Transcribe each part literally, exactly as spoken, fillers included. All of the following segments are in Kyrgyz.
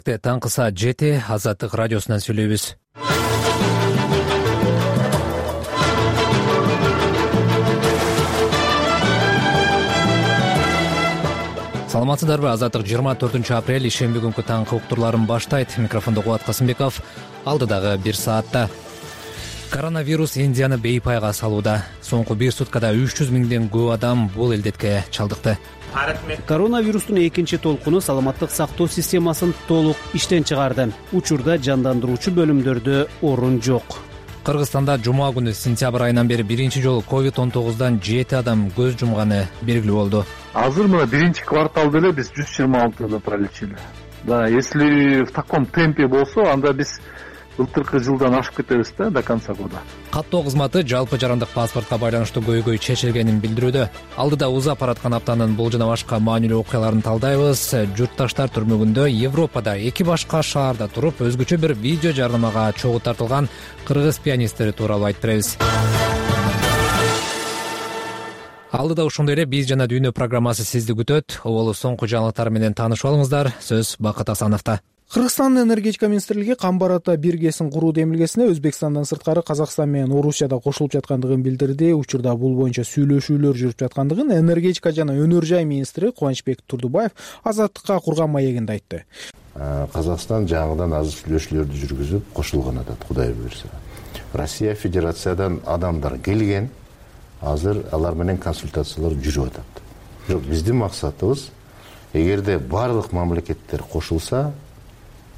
Таңкы саат жети, Азаттык радиосунан сүйлөйбүз. Саламатсыздарбы? Азаттык жыйырма төртүнчү апрель ишемби күнкү таңкы уктурларын баштайт. Микрофондо Кубат Касымбеков. Алдыдагы бир саатта коронавирус Индияны бейпайга салууда. Соңку бир суткада үч жүз миңден көп адам бул илдетке чалдыкты. Коронавирустун экинчи толкуну саламаттык сактоо системасын толук иштен чыгарды. Учурда жандандыруучу бөлүмдөрдө орун жок. Кыргызстанда жума күнү сентябрь айынан бери биринчи жолу ковид он тогуздан жети адам көз жумганы белгилүү болду. Азыр мына биринчи кварталда эле биз жүз жыйырма алтыда пролечили. Да, если в таком темпе болсо, анда биз былтыркы жылдан ашып кетебиз да до конца года. Каттоо кызматы жалпы жарандык паспортко байланыштуу көйгөй чечилгенин билдирүүдө. Алдыда узап бараткан аптанын бул жана башка маанилүү окуяларын талдайбыз. Журтташтар түрмөгүндө Европада эки башка шаарда туруп өзгөчө бир видео жарнамага чогуу тартылган кыргыз пианисттери тууралуу айтып беребиз. Алдыда ошондой эле биз жана дүйнө программасы сизди күтөт. Оболу соңку жаңылыктар менен таанышып алыңыздар. Сөз Бакыт Асановдо. Кыргызстандын энергетика министрлиги Камбар ата биргесин куруу демилгесине Өзбекстандан сырткары Казакстан менен Орусияда кошулуп жаткандыгын билдирди. Учурда бул боюнча сүйлөшүүлөр жүрүп жаткандыгын энергетика жана өнөр жай министри Кубанычбек Турдубаев Азаттыкка курган маегинде айтты. Казакстан жаңыдан азыр сүйлөшүүлөрдү жүргүзүп кошулган атат, Кудай буйрса. Россия Федерациядан адамдар келген, азыр алар менен консультациялар жүрүп атат. Бирок биздин максатыбыз, эгерде барлык мамлекеттер кошулса,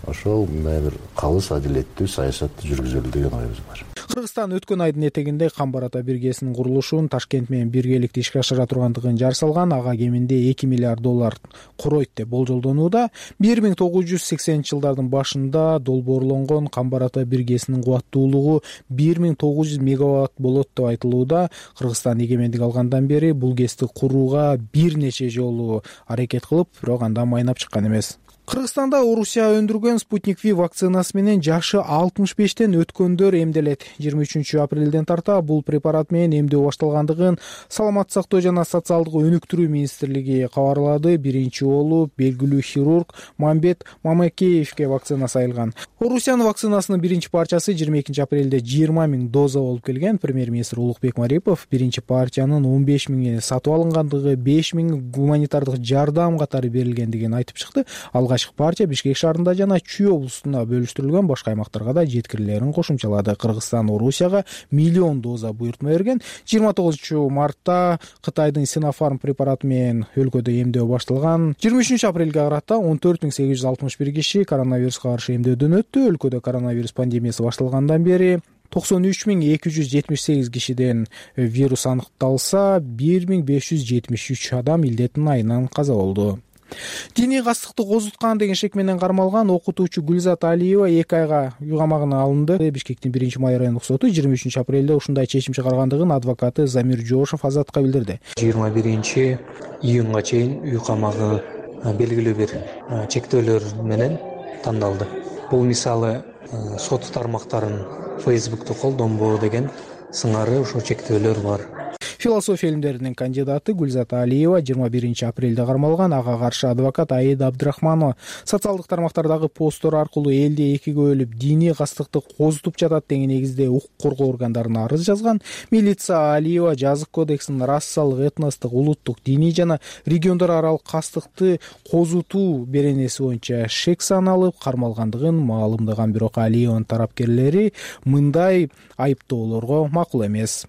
ошол мындай бир калыс адилеттүү саясатты жүргүзөлү деген оюбуз бар. Кыргызстан өткөн айдын этегинде Камбар ата биргесинин курулушун Ташкент менен биргеликте ишке ашыра тургандыгын жар салган. Ага кеминде эки миллиард доллар коройт деп болжолдонууда. бир миң тогуз жүз сексенинчи жылдардын башында долбоорлонгон Камбар ата биргесинин кубаттуулугу бир миң тогуз жүз мегаватт болот деп айтылууда. Кыргызстан эгемендик алгандан бери бул гэсти курууга бир нече жолу аракет кылып, бирок андан майнап чыккан эмес. Кыргызстанда Орусия өндүргөн Спутник V вакцинасы менен жашы алтымыш бештен өткөндөр эмделет. жыйырма үчүнчү апрелден тарта бул препарат менен эмдөө башталгандыгын Саламаттык сактоо жана социалдык өнүктүрүү министрлиги кабарлады. Биринчи болуп белгилүү хирург Мамбет Мамакеевке вакцина сайылган. Орусиянын вакцинасынын биринчи парчасы жыйырма экинчи апрелде жыйырма миң доза болуп келген. Премьер-министр Улукбек Марипов биринчи партиянын он беш миңи сатып алынгандыгы, беш миң гуманитардык жардам катары берилгендигин айтып чыкты. Алгачкы партия Бишкек шаарында жана Чүй облусунда бөлүштүрүлгөн башка аймактарга да жеткирилерин кошумчалады. Кыргызстан Орусияга миллион доза буйртма берген. жыйырма тогузунчу мартта Кытайдын Синофарм препараты менен өлкөдө эмдөө башталган. жыйырма үчүнчү апрелге карата он төрт миң сегиз жүз алтымыш бир киши коронавируска каршы эмдөөдөн өттү. Өлкөдө коронавирус пандемиясы башталгандан бери токсон үч миң эки жүз жетимиш сегиз кишиден вирус аныкталса, бир миң беш жүз жетимиш үч адам илдеттин айынан каза болду. Диний кастыкты козуткан деген шек менен кармалган окутуучу Гүлзат Алиева эки айга үй камагына алынды. Бишкектин биринчи май райондук соту жыйырма үчүнчү апрелде ушундай чечим чыгаргандыгын адвокаты Замир Жошов Азатка билдирди. жыйырма биринчи июнга чейин үй камагы белгилүү бир чектөөлөр менен тандалды. Бул мисалы сот тармактарын Facebook'та колдонбоо деген сыңары ошо чектөөлөр бар. Философия илимдеринин кандидаты Гүлзат Алиева жыйырма биринчи апрелде кармалган. Ага каршы адвокат Аида Абдрахманова социалдык тармактардагы посттор аркылуу элди экиге бөлүп диний кастыкты козутуп жатат деген негизде укук коргоо органдарына арыз жазган. Милиция Алиева жазык кодексинин расалык, этностук, улуттук, диний жана региондор аралык кастыкты козутуу беренеси боюнча шек саналып кармалгандыгын маалымдаган. Бирок Алиеванын тарапкерлери мындай айыптоолорго макул эмес.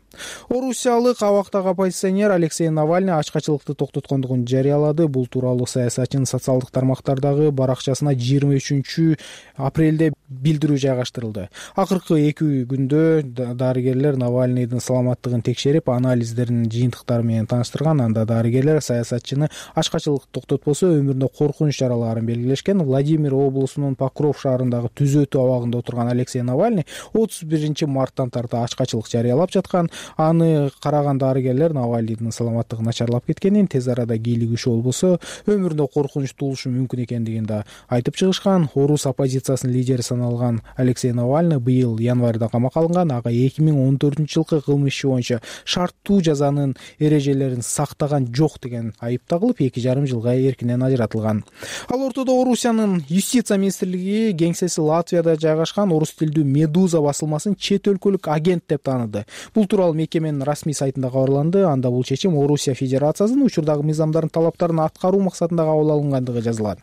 Орусиялык абактагы оппозиционер Алексей Навальный ачкачылыкты токтоткондугун жарыялады. Бул тууралуу саясатчынын социалдык тармактардагы баракчасына жыйырма үчүнчү апрелде билдирүү жайгаштырылды. Акыркы эки күндө дарыгерлер Навальныйдын саламаттыгын текшерип, анализдеринин жыйынтыктары менен тааныштырган. Анда дарыгерлер саясатчыны ачкачылыкты токтотпосо өмүрүнө коркунуч жаралаарын белгилешкен. Владимир облусунун Покров шаарындагы түзөтүү абагында отурган Алексей Навальный отуз биринчи марттан тарта ачкачылык жарыялап жаткан. Аны караган дарыгерлер Навальныйдын саламаттыгы начарлап кеткенин, тез арада кийлигишүү болбосо өмүрүндө коркунучтуу болушу мүмкүн экендигин да айтып чыгышкан. Орус оппозициясынын лидери саналган Алексей Навальный быйыл январда камакка алынган. Ага эки миң он төртүнчү жылкы кылмыш иши боюнча шарттуу жазанын эрежелерин сактаган жок деген айып тагылып, эки жарым жылга эркинен ажыратылган. Ал ортодо Орусиянын юстиция министрлиги кеңсеси Латвияда жайгашкан орус тилдүү Медуза басылмасын чет өлкөлүк агент деп тааныды. Бул тууралуу мекеменин расмий сайтында кабарланды. Анда бул чечим Орусия Федерациясынын учурдагы мыйзамдардын талаптарын аткаруу максатында кабыл алынгандыгы жазылган.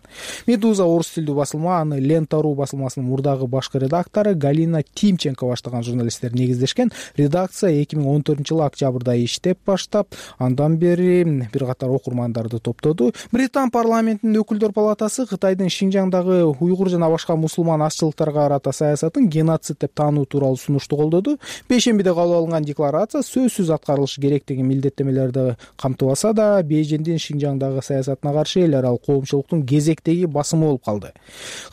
Медуза орус тилдүү басылма, аны Лента.ру басылмасынын мурдагы башкы редактору Галина Тимченко баштаган журналисттер негиздешкен. Редакция эки миң он төртүнчү жылы октябрда иштеп баштап, андан бери бир катар окурмандарды топтоду. Британ парламентинин өкүлдөр палатасы Кытайдын Шинжаңдагы уйгур жана башка мусулман азчылыктарга карата саясатын геноцид деп таануу тууралуу сунушту колдоду. Бейшембиде кабыл алынган декларация сөзсүз аткарылышы керектиги милдеттемелерди камтыбаса да, Бейжиңдин Шинжаңдагы саясатына каршы эл аралык коомчулуктун кезектеги басымы болуп калды.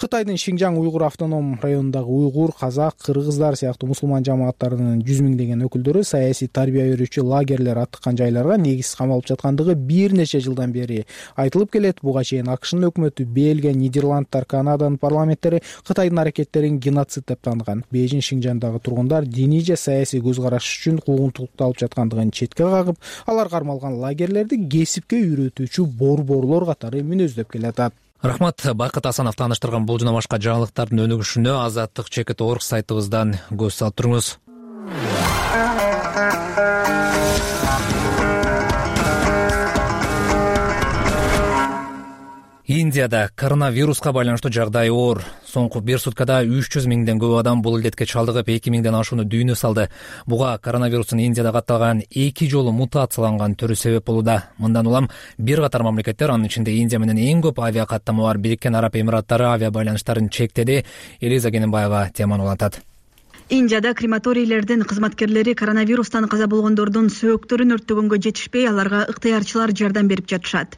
Кытайдын Шинжаң уйгур автоном районундагы уйгур, казак, кыргыздар сыяктуу мусулман жамааттарынын жүз миңдеген өкүлдөрү саясий тарбия берүүчү лагерлер аттыккан жайларга негизсиз камалып жаткандыгы бир нече жылдан бери айтылып келет. Буга чейин АКШнын өкмөтү, Бельгия, Нидерландтар, Канаданын парламенттери Кытайдын аракеттерин геноцид деп таанган. Бейжиң Шинжаңдагы тургундар диний же саясий көз караш үчүн куугунтукталып жаткандыгын четке кагып, алар кармалган лагерлерди кесипке үйрөтүүчү борборлор катары мүнөздөп келатат. Рахмат. Байкат Асанов тааныштырган бул жана башка жаңылыктардын өнүгүшүнө азаттык чекит точка орг сайтыбыздан көз салып туруңуз. Индияда коронавируска байланыштуу жагдай оор. Соңку бир суткада үч жүз миңден көп адам бул илдетке чалдыгып, эки миңден ашууну дүйнө салды. Буга коронавирустун Индияда катталган эки жолу мутацияланган түрү себеп болууда. Мындан улам бир катар мамлекеттер, анын ичинде Индия менен эң көп авиа каттама бар Бириккен Араб Эмираттары авиа байланыштарын чектеди. Элиза Кененбаева теманы улантат. Индияда крематорийлердин кызматкерлери коронавирустан каза болгондордун сөөктөрүн өрттөгөнгө жетишпей, аларга ыктыярчылар жардам берип жатышат.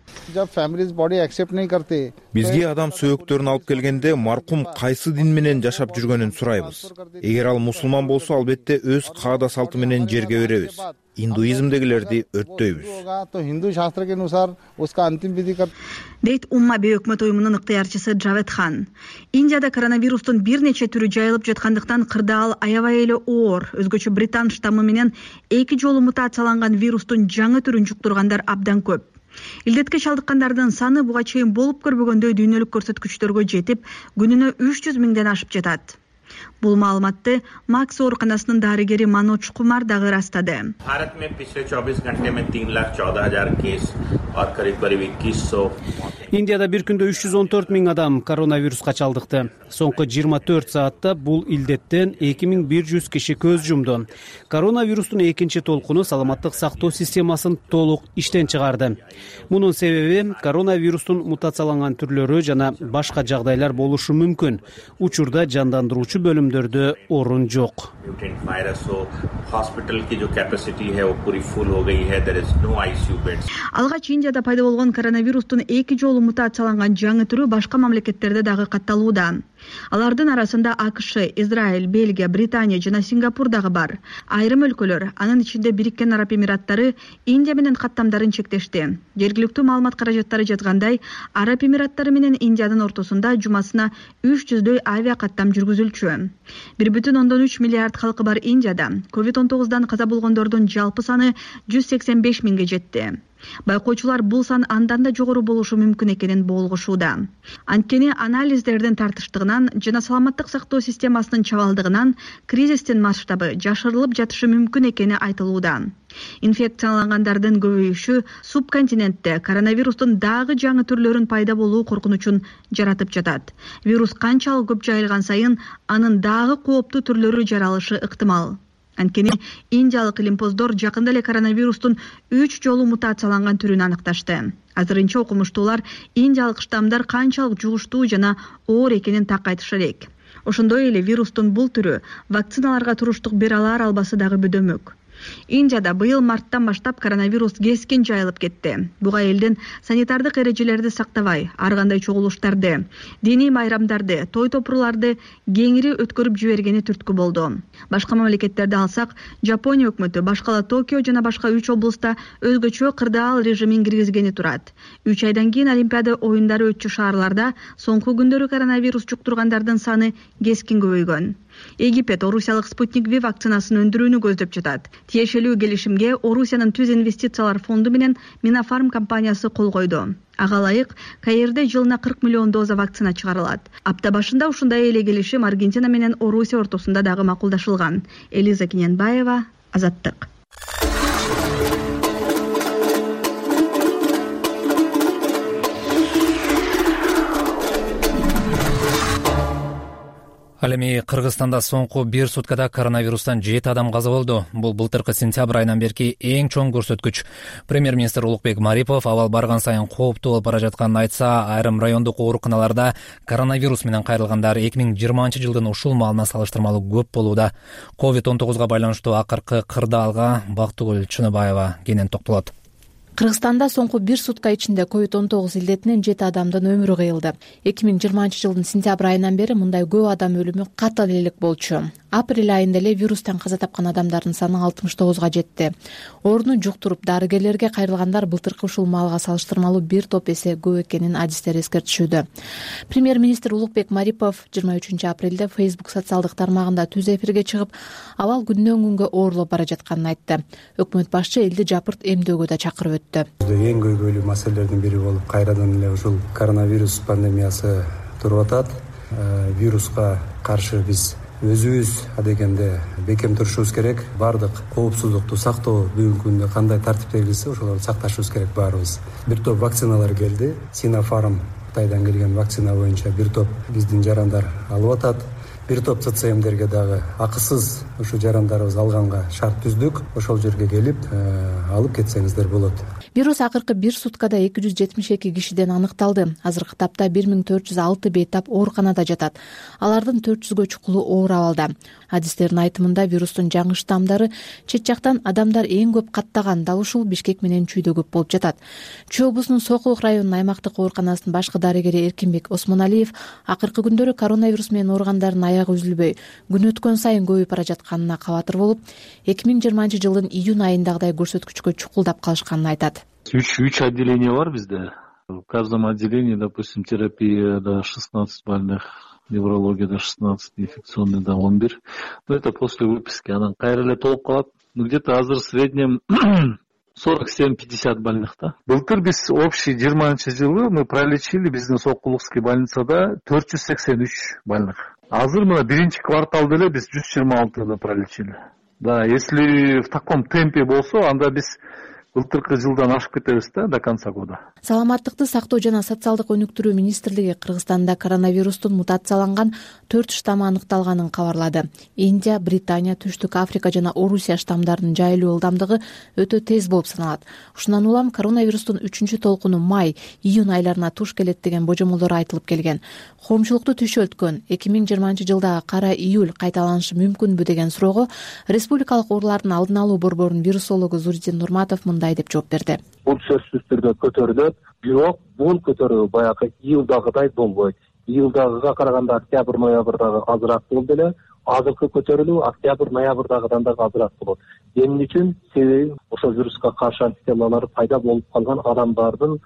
Бизге адам сөөктөрүн алып келгенде маркум кайсы дин менен жашап жүргөнүн сурайбыз. Эгер ал мусулман болсо, албетте өз каада салты менен жерге беребиз. Индуизмдегилерди өрттөйбүз. Дейт Уммаби өкмөт уюмунун ыктыярчысы Джавед Хан. Индияда коронавирустун бир нече түрү жайылып жаткандыктан кырдаал аябай эле оор. Өзгөчө Британ штаммы менен эки жолу мутацияланган вирустун жаңы түрүн жуктургандар абдан көп. Илдетке чалдыккандардын саны буга чейин болуп көрбөгөндөй дүйнөлүк көрсөткүчтөргө жетип, күнүнө үч жүз миңден ашып жатат. Бул маалыматты Макс ооруканасынын дарыгери Манож Кумар дагы ырастады. Индияда бир күндө үч жүз он төрт миң адам коронавируска чалдыкты. Соңку жыйырма төрт саатта бул илдеттен эки миң бир жүз киши көз жумду. Коронавирустун экинчи толкуну саламаттык сактоо системасын толук иштен чыгарды. Мунун себеби коронавирустун мутацияланган түрлөрү жана башка жагдайлар болушу мүмкүн. Учурда жандандыруучу бөлүмдөрдө орун жок. Алгач Индияда пайда болгон коронавирустун эки жолу мутацияланган жаңы түрү башка мамлекеттерде дагы катталууда. Алардын арасында АКШ, Израиль, Бельгия, Британия жана Сингапур дагы бар. Айрым өлкөлөр, анын ичинде Бириккен Араб Эмираттары Индия менен каттамдарын чектешти. Жергиликтүү маалымат каражаттары жазгандай, Араб Эмираттары менен Индиянын ортосунда жумасына үч жүздөй авиа каттам жүргүзүлчү. бир бүтүн ондон үч миллиард халкы бар Индияда ковид он тогуздан каза болгондордун жалпы саны жүз сексен беш миңге жетти. Байкоочулар бул сан андан да жогору болушу мүмкүн экенин болгошууда. Анткени анализдердин тартыштыгынан жана саламаттык сактоо системасынын чабалдыгынан кризистин масштабы жашырылып жатышы мүмкүн экени айтылууда. Инфекциялангандардын көбөйүшү субконтинентте коронавирустун дагы жаңы түрлөрүн пайда болуу коркунучун жаратып жатат. Вирус канчалык көп жайылган сайын анын дагы кооптуу түрлөрү жаралышы ыктымал. Анткени индиялык илимпоздор жакында эле коронавирустун үч жолу мутацияланган түрүн аныкташты. Азырынча окумуштуулар индиялык штаммдар канчалык жугуштуу жана оор экенин так айтышы элек. Ошондой эле вирустун бул түрү вакциналарга туруштук бере алар албасы дагы бөдөмөк. Индияда быйыл марттан баштап коронавирус кескин жайылып кетти. Буга элдин санитардык эрежелерди сактабай, ар кандай чогулуштарды, диний майрамдарды, той топурларды кеңири өткөрүп жибергени түрткү болду. Башка мамлекеттерди алсак, Жапония өкмөтү башкала Токио жана башка үч облуста өзгөчө кырдаал режимин киргизгени турат. үч айдан кийин Олимпиада оюндары өтчү шаарларда соңку күндөрү коронавирус жуктургандардын саны кескин көбөйгөн. Египет Орусиялык Спутник V вакцинасын өндүрүүнү көздөп жатат. Тиешелүү келишимге Орусиянын Түз инвестициялар фонду менен Минафарм компаниясы кол койду. Ага ылайык Каирде жылына кырк миллион доза вакцина чыгарылат. Апта башында ушундай эле келишим Аргентина менен Орусия ортосунда дагы макулдашылган. Элиза Киненбаева, Азаттык. Ал эми Кыргызстанда соңку бир суткада коронавирустан жети адам каза болду. Бул былтыркы сентябрь айынан берки эң чоң көрсөткүч. Премьер-министр Улукбек Марипов абал барган сайын кооптуу болуп бара жатканын айтса, айрым райондук ооруканаларда коронавирус менен кайрылгандар эки миң жыйырманчы жылдын ушул маалына салыштырмалуу көп болууда. ковид он тогузга байланыштуу акыркы кырдаалга Бактыгүл Чыныбаева кенен токтолот. Кыргызстанда соңку бир сутка ичинде ковид он тогуз илдетинен жети адамдын өмүрү кыйылды. эки миң жыйырманчы жылдын сентябрь айынан бери мындай көп адам өлүмү катар элек болчу. Апрель айында эле вирустан каза тапкан адамдардын саны алтымыш тогузга жетти. Ооруну жуктуруп дарыгерлерге кайрылгандар былтыркы ушул маалга салыштырмалуу бир топ эсе көп экенин адистер эскертишүүдө. Премьер-министр Улукбек Марипов жыйырма үчүнчү апрелде Facebook социалдык тармагында түз эфирге чыгып, абал күндөн күнгө оорлоп бара жатканын айтты. Өкмөт башчы элди жапырт эмдөөгө да чакырып өттү. Эң көйгөйлүү маселелердин бири болуп кайрадан эле ушул коронавирус пандемиясы туруп атат. Вируска каршы биз өзүбүз адегенде бекем турушубуз керек. Бардык коопсуздукту сактоо бүгүнкү күндө кандай тартип белгилесе ошолорду сакташыбыз керек баарыбыз. Бир топ вакциналар келди. Синофарм Кытайдан келген вакцина боюнча бир топ биздин жарандар алып атат. Бир топ ЦЦМдерге дагы акысыз ушу жарандарыбыз алганга шарт түздүк. Ошол жерге келип алып кетсеңиздер болот. Вирус акыркы бир суткада эки жүз жетимиш эки кишиден аныкталды. Азыркы тапта бир миң төрт жүз алты бейтап ооруканада жатат. Алардын төрт жүзгө чукулу оор абалда. Адистердин айтымында вирустун жаңы штамдары чет жактан адамдар эң көп каттаган дал ушул Бишкек менен Чүйдө көп болуп жатат. Чүй облусунун Сокулук районунун аймактык ооруканасынын башкы дарыгери Эркинбек Осмоналиев акыркы күндөрү коронавирус менен ооругандардын аягы үзүлбөй, күн өткөн сайын көбөйүп бара жатканына кабатыр болуп, эки миң жыйырманчы жылдын июнь айындагыдай көрсөткүчкө чукулдап калышканын айтат. Үч үч отделение бар бизде. В каждом отделении, допустим, терапияда шестнадцать больных, неврологияда шестнадцать, инфекционныйда он бир. Но это после выписки. Анан кайра эле толуп калат. Ну где-то азыр в среднем сорок семь пятьдесят больных, да. Былтыр биз общий жыйырманчы жылы мы пролечили биздин Сокулукский больницада төрт жүз сексен үч больных. Азыр мына биринчи кварталда эле биз жүз жыйырма алтыны пролечили. Да, если в таком темпе болсо, анда биз былтыркы жылдан ашып кетебиз да до конца года. Саламаттыкты сактоо жана социалдык өнүктүрүү министрлиги Кыргызстанда коронавирустун мутацияланган төрт штаммы аныкталганын кабарлады. Индия, Британия, Түштүк Африка жана Орусия штамдарынын жайылуу ылдамдыгы өтө тез болуп саналат. Ушундан улам коронавирустун үчүнчү толкуну май, июнь айларына туш келет деген божомолдор айтылып келген. Коомчулукту түшөлткөн эки миң жыйырманчы жылдагы кара июль кайталанышы мүмкүнбү деген суроого республикалык оорулардын алдын алуу борборунун вирусологу Зуридин Нурматов мындай деп жооп берди. Бул сөзсүз түрдө көтөрүлөт, бирок бул көтөрүү баягы июлдагыдай болбойт. Июлдагыга караганда октябрь, ноябрдагы азыраак болду эле. Азыркы көтөрүлүү октябрь, ноябрдагыдан дагы азыраак болот. Эмне үчүн? Себеби ошо вируска каршы антителалар пайда болуп калган адамдардын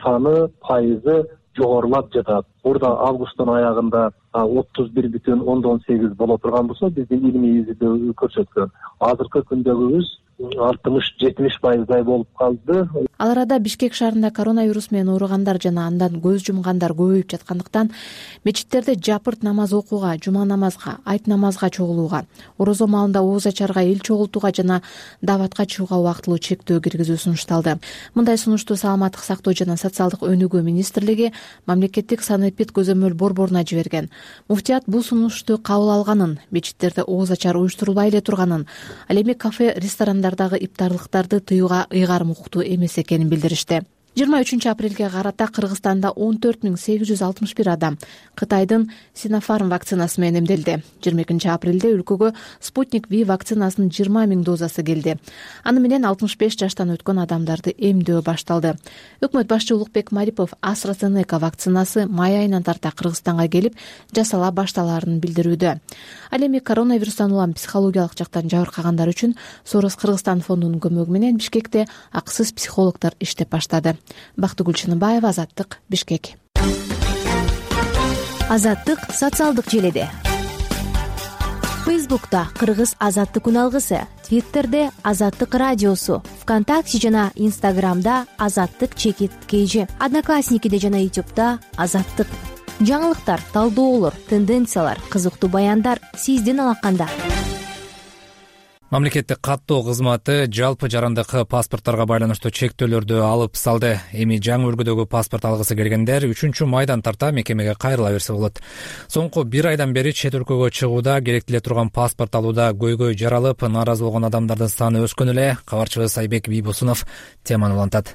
саны, пайызы жогорулап жатат. Орда августтун аягында отуз бир бүтүн ондон сегиз боло турган болсо, биздин илимий изилдөө көрсөткөн. Азыркы күндөгүбүз алтымыш жетимиш пайыздай болуп калды. Ал арада Бишкек шаарында коронавирус менен ооругандар жана андан көз жумгандар көбөйүп жаткандыктан мечиттерде жапырт намаз окууга, жума намазга, айт намазга чогулууга, орозо маалында ооз ачарга, эл чогултууга жана дааватка чыгууга убактылуу чектөө киргизүү сунушталды. Мындай сунушту Саламаттык сактоо жана социалдык өнүгүү министрлиги мамлекеттик санэпид көзөмөл борборуна жиберген. Муфтият бул сунушту кабыл алганын, мечиттерде ооз ачар уюштурулбай эле турганын, ал эми кафе, ресторандардагы иптарлыктарды тыюуга ыйгарым укуктуу эмес экенин билдиришти. жыйырма үчүнчү апрелге карата Кыргызстанда он төрт миң сегиз жүз алтымыш бир адам Кытайдын Sinopharm вакцинасы менен эмделди. жыйырма экинчи апрелде өлкөгө Sputnik V вакцинасынын жыйырма миң дозасы келди. Аны менен алтымыш беш жаштан өткөн адамдарды эмдөө башталды. Өкмөт башчы Улукбек Марипов AstraZeneca вакцинасы май айынан тарта Кыргызстанга келип жасала башталаарын билдирүүдө. Ал эми коронавирустан улам психологиялык жактан жабыркагандар үчүн Сорос Кыргызстан фондунун көмөгү менен Бишкекте акысыз психологдор иштеп баштады. Бактыгүл Чыныбаева, Азаттык, Бишкек. Азаттык социалдык желеде. Фейсбукта Кыргыз Азаттык үналгысы, Твиттерде Азаттык радиосу, ВКонтакте жана Инстаграмда Азаттык чекит кейжи, Одноклассникиде жана Ютубта Азаттык. Жаңылыктар, талдоолор, тенденциялар, кызыктуу баяндар сиздин алаканда. Мамлекеттик каттоо кызматы жалпы жарандык паспортторго байланыштуу чектөөлөрдү алып салды. Эми жаңы үлгүдөгү паспорт алгысы келгендер үчүнчү майдан тарта мекемеге кайрыла берсе болот. Соңку бир айдан бери чет өлкөгө чыгууда керектеле турган паспорт алууда көйгөй жаралып, нааразы болгон адамдардын саны өскөн эле. Кабарчыбыз Айбек Бийбосунов теманы улантат.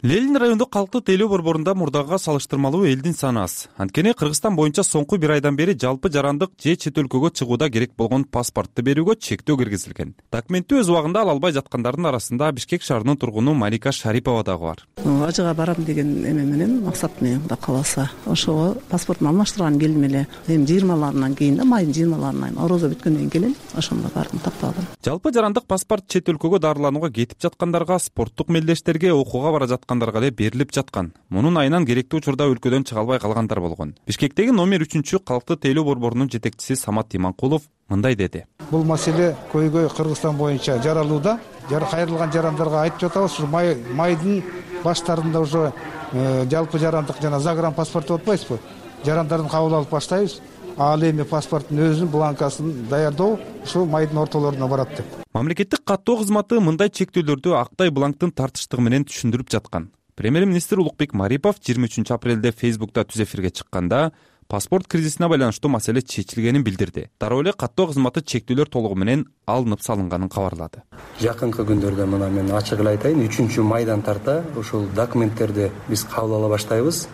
Ленин райондук калктык тейлөө борборунда мурдагыга салыштырмалуу элдин саны аз. Анткени Кыргызстан боюнча соңку бир айдан бери жалпы жарандык же чет өлкөгө чыгууда керек болгон паспортты берүүгө чектөө киргизилген. Документти өз убагында ала албай жаткандардын арасында Бишкек шаарынын тургуну Малика Шарипова дагы бар. Ажыга барам деген эме менен, максат менен, Кудай кааласа, ошого паспортун алмаштырган келдим эле. Эми жыйырмаларынан кийин да, майдын жыйырмаларынан, орозо бүткөндөн кийин ошондо бардым, тапталдым. Жалпы жарандык паспорт чет өлкөгө дарыланууга кетип жаткандарга, спорттук мелдештерге, окууга бара жаткан эле берилип жаткан. Мунун айынан керектүү учурда өлкөдөн чыга албай калгандар болгон. Бишкектеги номер үчүнчү калктык тейлөө борборунун жетекчиси Самат Иманкулов мындай деди. Бул маселе көйгөй Кыргызстан боюнча жаралууда. Жар кайрылган жарандарга айтып жатабыз, ушу май майдын баштарында уже жалпы жарандык жана загран паспорт деп атпайсызбы? Жарандардын кабыл алып баштайбыз. Ал эми паспорттун өзүнүн бланкасын даярдоо ушу майдын ортолоруна барат деп. Мамлекеттик каттоо кызматы мындай чектөөлөрдү актай бланктын тартыштыгы менен түшүндүрүп жаткан. Премьер-министр Улукбек Марипов жыйырма үчүнчү апрелде Фейсбукта түз эфирге чыкканда паспорт кризисине байланыштуу маселе чечилгенин билдирди. Дароо эле каттоо кызматы чектөөлөр толугу менен алынып салынганын кабарлады. Жакынкы күндөрдө мына мен ачык эле айтайын, үчүнчү майдан тарта ушул документтерди биз кабыл ала баштайбыз.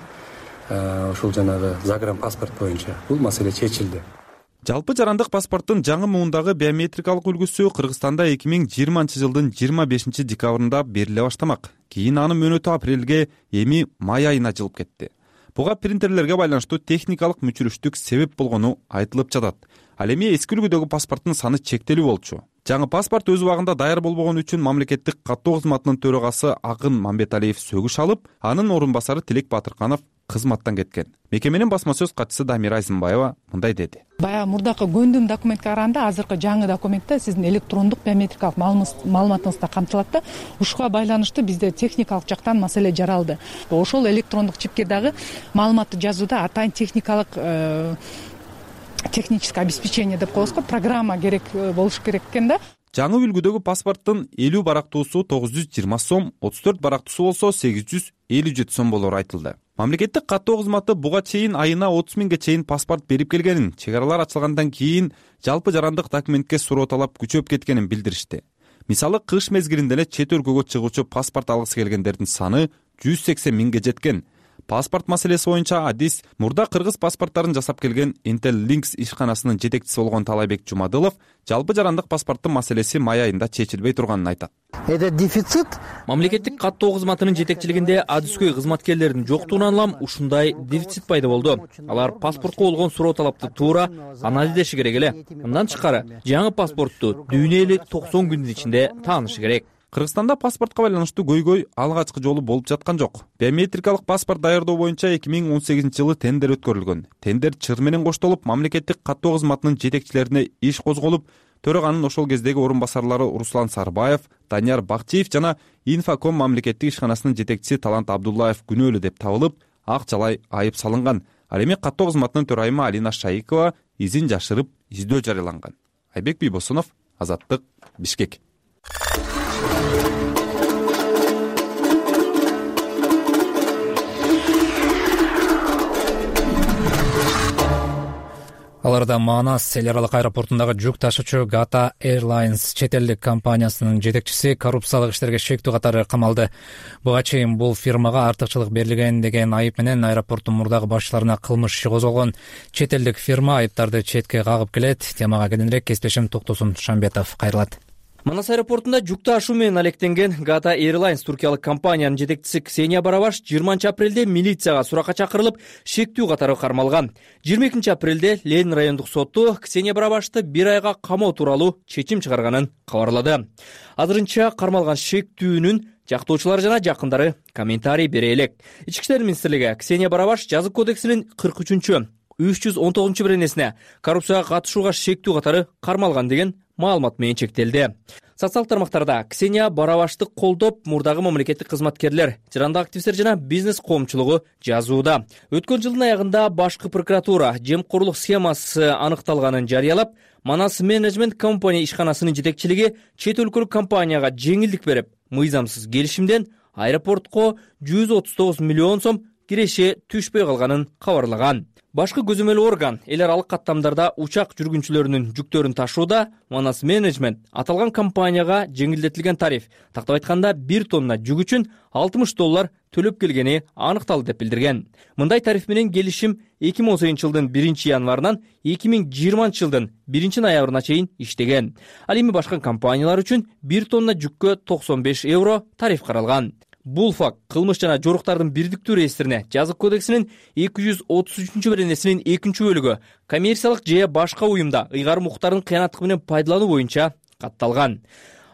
Ушул жанагы загран паспорт боюнча бул маселе чечилди. Жалпы жарандык паспорттун жаңы муундагы биометрикалык үлгүсү Кыргызстанда эки миң жыйырманчы жылдын жыйырма бешинчи декабрында бериле баштамак. Кийин анын мөөнөтү апрелге, эми май айына жылып кетти. Буга принтерлерге байланыштуу техникалык мүчүрүштүк себеп болгону айтылып жатат. Ал эми эски үлгүдөгү паспорттун саны чектелүү болчу. Жаңы паспорт өз убагында даяр болбогон үчүн мамлекеттик каттоо кызматынын төрагасы Акын Мамбеталиев сөгүш алып, анын орун басары Тилек Батырканов кызматтан кеткен. Мекеменин басма сөз катчысы Дамира Айзымбаева мындай деди. Баягы мурдакы көндүм документке караганда азыркы жаңы документте сиздин электрондук биометрикалык маалыматыңыз да камтылат да. Ушуга байланыштуу бизде техникалык жактан маселе жаралды. Ошол электрондук чипке дагы маалыматты жазууда атайын техникалык техническое обеспечение деп коебуз го, программа керек болуш керек экен да. Жаңы үлгүдөгү паспорттун элүү барактуусу тогуз жүз жыйырма сом, отуз төрт барактуусу болсо сегиз жүз элүү жети сом болору айтылды. Мамлекеттик каттоо кызматы буга чейин айына отуз миңге чейин паспорт берип келгенин, чек аралар ачылгандан кийин жалпы жарандык документке суроо талап күчөп кеткенин билдиришти. Мисалы, кыш мезгилинде эле чет өлкөгө чыгуучу паспорт алгысы келгендердин саны жүз сексен миңге жеткен. Паспорт маселеси боюнча адис мурда кыргыз паспорттарын жасап келген Intel Links ишканасынын жетекчиси болгон Талайбек Жумадылов жалпы жарандык паспорттун маселеси май айында чечилбей турганын айтат. Это дефицит. Мамлекеттик каттоо кызматынын жетекчилигинде адискөй кызматкерлердин жоктугунан улам ушундай дефицит пайда болду. Алар паспортко болгон суроо талапты туура анализ эдеши керек эле. Мындан тышкары, жаңы паспортту дүйнө эли токсон күндүн ичинде таанышы керек. Кыргызстанда паспортко байланыштуу көйгөй алгачкы жолу болуп жаткан жок. Биометрикалык паспорт даярдоо боюнча эки миң он сегизинчи жылы тендер өткөрүлгөн. Тендер чыр менен коштолуп, мамлекеттик каттоо кызматынын жетекчилерине иш козголуп, төраганын ошол кездеги орун басарлары Руслан Сарбаев, Данияр Бакчиев жана Инфоком мамлекеттик ишканасынын жетекчиси Талант Абдуллаев күнөөлүү деп табылып, ак жалай айып салынган. Ал эми каттоо кызматынын төрайымы Алина Шайыкова изин жашырып, издөө жарыяланган. Айбек Бийбосунов, Азаттык, Бишкек. аларда Манас эл аралык аэропортундагы жүк ташуучу Gata Airlines чет элдик компаниясынын жетекчиси коррупциялык иштерге шектүү катары камалды. Буга чейин бул фирмага артыкчылык берилген деген айып менен аэропорттун мурдагы башчыларына кылмыш иши козголгон. Чет элдик фирма айыптарды четке кагып келет. Темага кененирээк кесиптешим Токтосун Шамбетов кайрылат. Манас аэропортунда жүк ташуу менен алектенген Gata Airlines туркиялык компаниянын жетекчиси Ксения Барабаш жыйырманчы апрелде милицияга суракка чакырылып, шектүү катары кармалган. жыйырма экинчи апрелде Ленин райондук соту Ксения Барабашты бир айга камоо тууралуу чечим чыгарганын кабарлады. Азырынча кармалган шектүүнүн жактоочулары жана жакындары комментарий бере элек. Ички иштер министрлиги Ксения Барабаш жазык кодексинин кырк үчүнчү үч жүз он тогузунчу беренесине коррупцияга катышууга шектүү катары кармалган деген маалымат менен чектелди. Социалдык тармактарда Ксения Барабашты колдоп, мурдагы мамлекеттик кызматкерлер, жарандык активисттер жана бизнес коомчулугу жазууда. Өткөн жылдын аягында башкы прокуратура жемкорлук схемасы аныкталганын жарыялап, Манас менеджмент компания ишканасынын жетекчилиги чет өлкөлүк компанияга жеңилдик берип, мыйзамсыз келишимден аэропортко жүз отуз тогуз миллион сом киреше түшпөй калганын кабарлаган. Башкы көзөмөл орган эл аралык каттамдарда учак жүргүнчүлөрүнүн жүктөрүн ташууда Манас менеджмент аталган компанияга жеңилдетилген тариф, тактап айтканда бир тонна жүк үчүн алтымыш доллар төлөп келгени аныкталды деп билдирген. Мындай тариф менен келишим эки миң он сегизинчи жылдын биринчи январынан эки миң жыйырманчы жылдын биринчи ноябрына чейин иштеген. Ал эми башка компаниялар үчүн бир тонна жүккө токсон беш евро тариф каралган. Бул факт кылмыш жана жоруктардын бирдиктүү реестрине жазык кодексинин эки жүз отуз үчүнчү беренесинин экинчи бөлүгү коммерциялык же башка уюмда ыйгарым укуктарын кыянаттык менен пайдалануу боюнча катталган.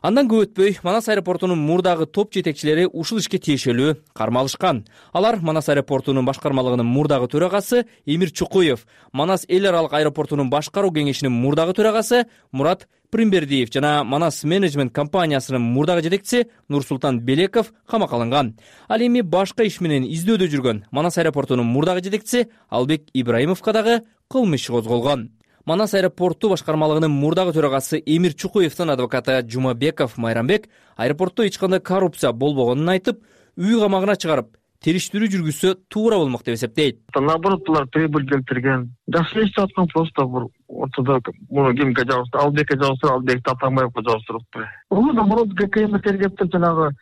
Андан көп өтпөй Манас аэропортунун мурдагы топ жетекчилери ушул ишке тиешелүү кармалышкан. Алар Манас аэропортунун башкармалыгынын мурдагы төрагасы Эмир Чукуев, Манас эл аралык аэропортунун башкаруу кеңешинин мурдагы төрагасы Мурат Примбердиев жана Манас менеджмент компаниясынын мурдагы жетекчиси Нурсултан Белеков камакка алынган. Ал эми башка иш менен издөөдө жүргөн Манас аэропортунун мурдагы жетекчиси Албек Ибраимовго дагы кылмыш иши козголгон. Манас аэропорту башкармалыгынын мурдагы төрагасы Эмир Чукуевдин адвокаты Жумабеков Майрамбек аэропортто эч кандай коррупция болбогонун айтып, үй камагына чыгарып, териштирүү жүргүзсө туура болмок деп эсептейт. Наоборот, булар прибыль келтирген. Жакшы иштеп аткан, просто бир ортодо муну кимге жабыштыр, Албекке жабыштыр, Албекти Атамбаевге жабыштырыпты. Бул наоборот ГКМ тергептип жанагы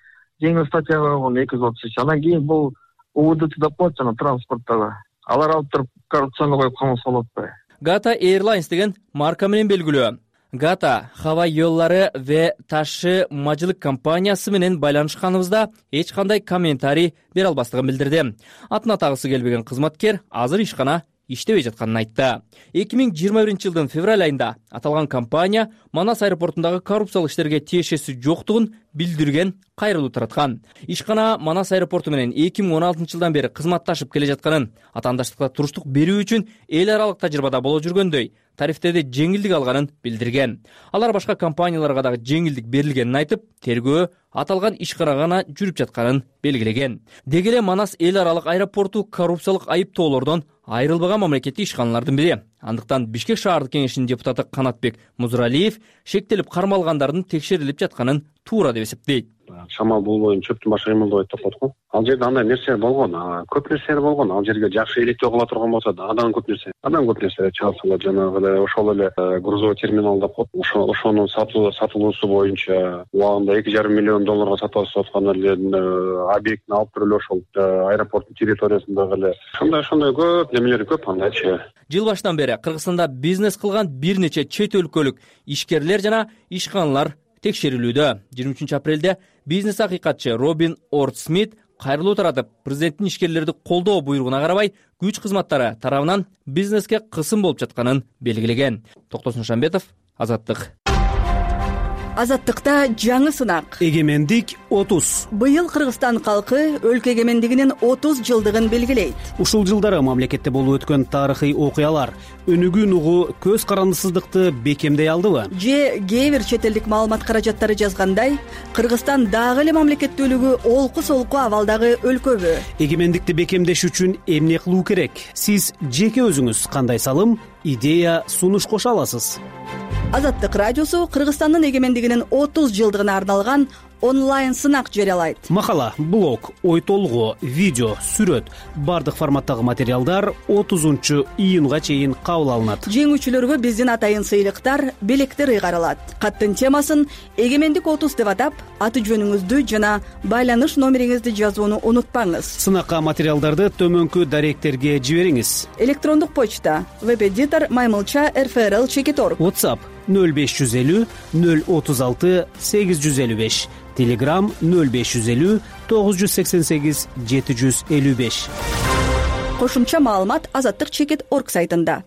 жеңил статьяга койгон эки жүз отуз үч. Анан кийин бул УВД деп коет жана транспорттагы. Алар алып туруп коррупцияны коюп камап салат атпайбы? Gata Airlines деген марка менен белгилүү. Gata Хава Yolları ve Taşı Macılık компаниясы менен байланышканыбызда эч кандай комментарий бере албастыгын билдирди. Атына тагысы келбеген кызматкер азыр ишкана иштебей жатканын айтты. эки миң жыйырма биринчи жылдын февраль айында аталган компания Манас аэропортундагы коррупциялык иштерге тиешеси жоктугун билдирген, кайрылуу тараткан. Ишкана Манас аэропорту менен эки миң он алтынчы жылдан бери кызматташып келе жатканын, атаандаштыкка туруштук берүү үчүн эл аралык тажрыйбада боло жүргөндөй тарифтерде жеңилдик алганын билдирген. Алар башка компанияларга дагы жеңилдик берилгенин айтып, тергөө аталган ишкана гана жүрүп жатканын белгилеген. Деги эле Манас эл аралык аэропорту коррупциялык айыптоолордон айрылбаган мамлекеттик ишканалардын бири. Андыктан Бишкек шаардык кеңешинин депутаты Канатбек Музуралиев шектелип кармалгандардын текшерилип жатканын туура деп эсептейт. Шамал болбойн чөптүн башы кыймылдабайт деп коет го. Ал жерде андай нерсе болгон, көп нерсе болгон. Ал жерге жакшы электөө кыла турган болсо да, адам көп нерсе, адам көп нерсе чалсалар, жанагы эле ошол эле грузовой терминал деп коет. Ошо ошонун сатылуусу боюнча убагында эки жарым миллион долларга сатып аткан эле объектин алып туруп эле ошол аэропорттун территориясындагы эле ошондой ошондой көп немелер көп андайчы. Жыл башынан бери Кыргызстанда бизнес кылган бир нече чет өлкөлүк ишкерлер жана ишканалар текшерилүүдө. жыйырма үчүнчү апрелде бизнес акыйкатчы Робин Орд Смит кайрылуу таратып, президенттин ишкерлерди колдоо буйругуна карабай күч кызматтары тарабынан бизнеске кысым болуп жатканын белгилеген. Токтосун Шамбетов, Азаттык. Азаттыкта жаңы сынак. Эгемендик отуз. Быйыл Кыргызстан калкы өлкө эгемендигинин отуз жылдыгын белгилейт. Ушул жылдары мамлекетте болуп өткөн тарыхый окуялар өнүгүү нугу көз карандысыздыкты бекемдей алдыбы? Же кээ бир чет элдик маалымат каражаттары жазгандай, Кыргызстан дагы эле мамлекеттүүлүгү олку-солку абалдагы өлкөбү? Эгемендикти бекемдеш үчүн эмне кылуу керек? Сиз жеке өзүңүз кандай салым, идея, сунуш кошо аласыз? Азаттык радиосу Кыргызстандын эгемендигинин отуз жылдыгына арналган онлайн сынак жарыялайт. Макала, блог, ой толгоо, видео, сүрөт бардык форматтагы материалдар отузунчу июнга чейин кабыл алынат. Жеңүүчүлөргө биздин атайын сыйлыктар, белектер ыйгарылат. Каттын темасын эгемендик отуз деп атап, аты жөнүңүздү жана байланыш номериңизди жазууну унутпаңыз. Сынакка материалдарды төмөнкү даректерге жибериңиз. Электрондук почта веб-эдитор маймылча эр эф эр эл чекит орг. WhatsApp нөл беш жүз элүү нөл отуз алты сегиз жүз элүү беш. Telegram нөл беш жүз элүү тогуз жүз сексен сегиз жети жүз элүү беш. Кошумча маалымат азаттык чекит орг сайтында.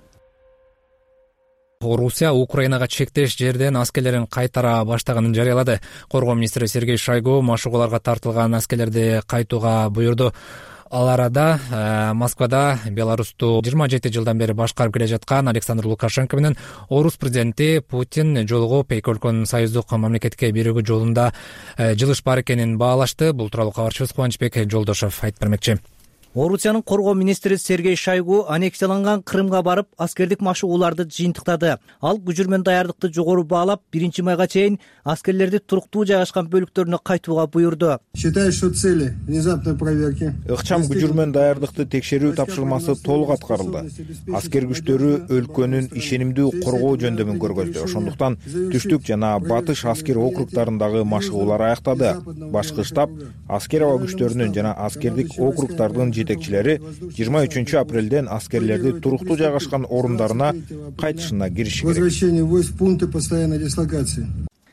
Орусия Украинага чектеш жерден аскерлерин кайтара баштаганын жарыялады. Коргоо министри Сергей Шойгу машыгууларга тартылган аскерлерди кайтууга буйрду. Ал арада э, Москвада Беларусту жыйырма жети жылдан бери башкарып келе жаткан Александр Лукашенко менен Орус президенти Путин жолугуп эки өлкөнүн союздук мамлекетке биригүү жолунда э, жылыш бар экенин баалашты. Бул тууралуу кабарчыбыз Кубанычбек Жолдошов айтып бермекчи. Орусиянын коргоо министри Сергей Шойгу аннексияланган Крымга барып, аскердик машыгууларды жыйынтыктады. Ал күжүрмөн даярдыкты жогору баалап, биринчи майга чейин аскерлерди туруктуу жайгашкан бөлүктөрүнө кайтууга буйрду. Считаю, что цели внезапной проверки. Ыкчам күжүрмөн даярдыкты текшерүү тапшырмасы толук аткарылды. Аскер күчтөрү өлкөнүн ишенимдүү коргоо жөндөмүн көргөздү. Ошондуктан түштүк жана батыш аскер округдарындагы машыгуулар аяктады. Башкы штаб аскер аба күчтөрүнүн жана аскердик округдардын жетекчилери жыйырма үчүнчү апрелден аскерлерди туруктуу жайгашкан орундарына кайтышына кириши керек. Возвращение войск в пункты постоянной дислокации.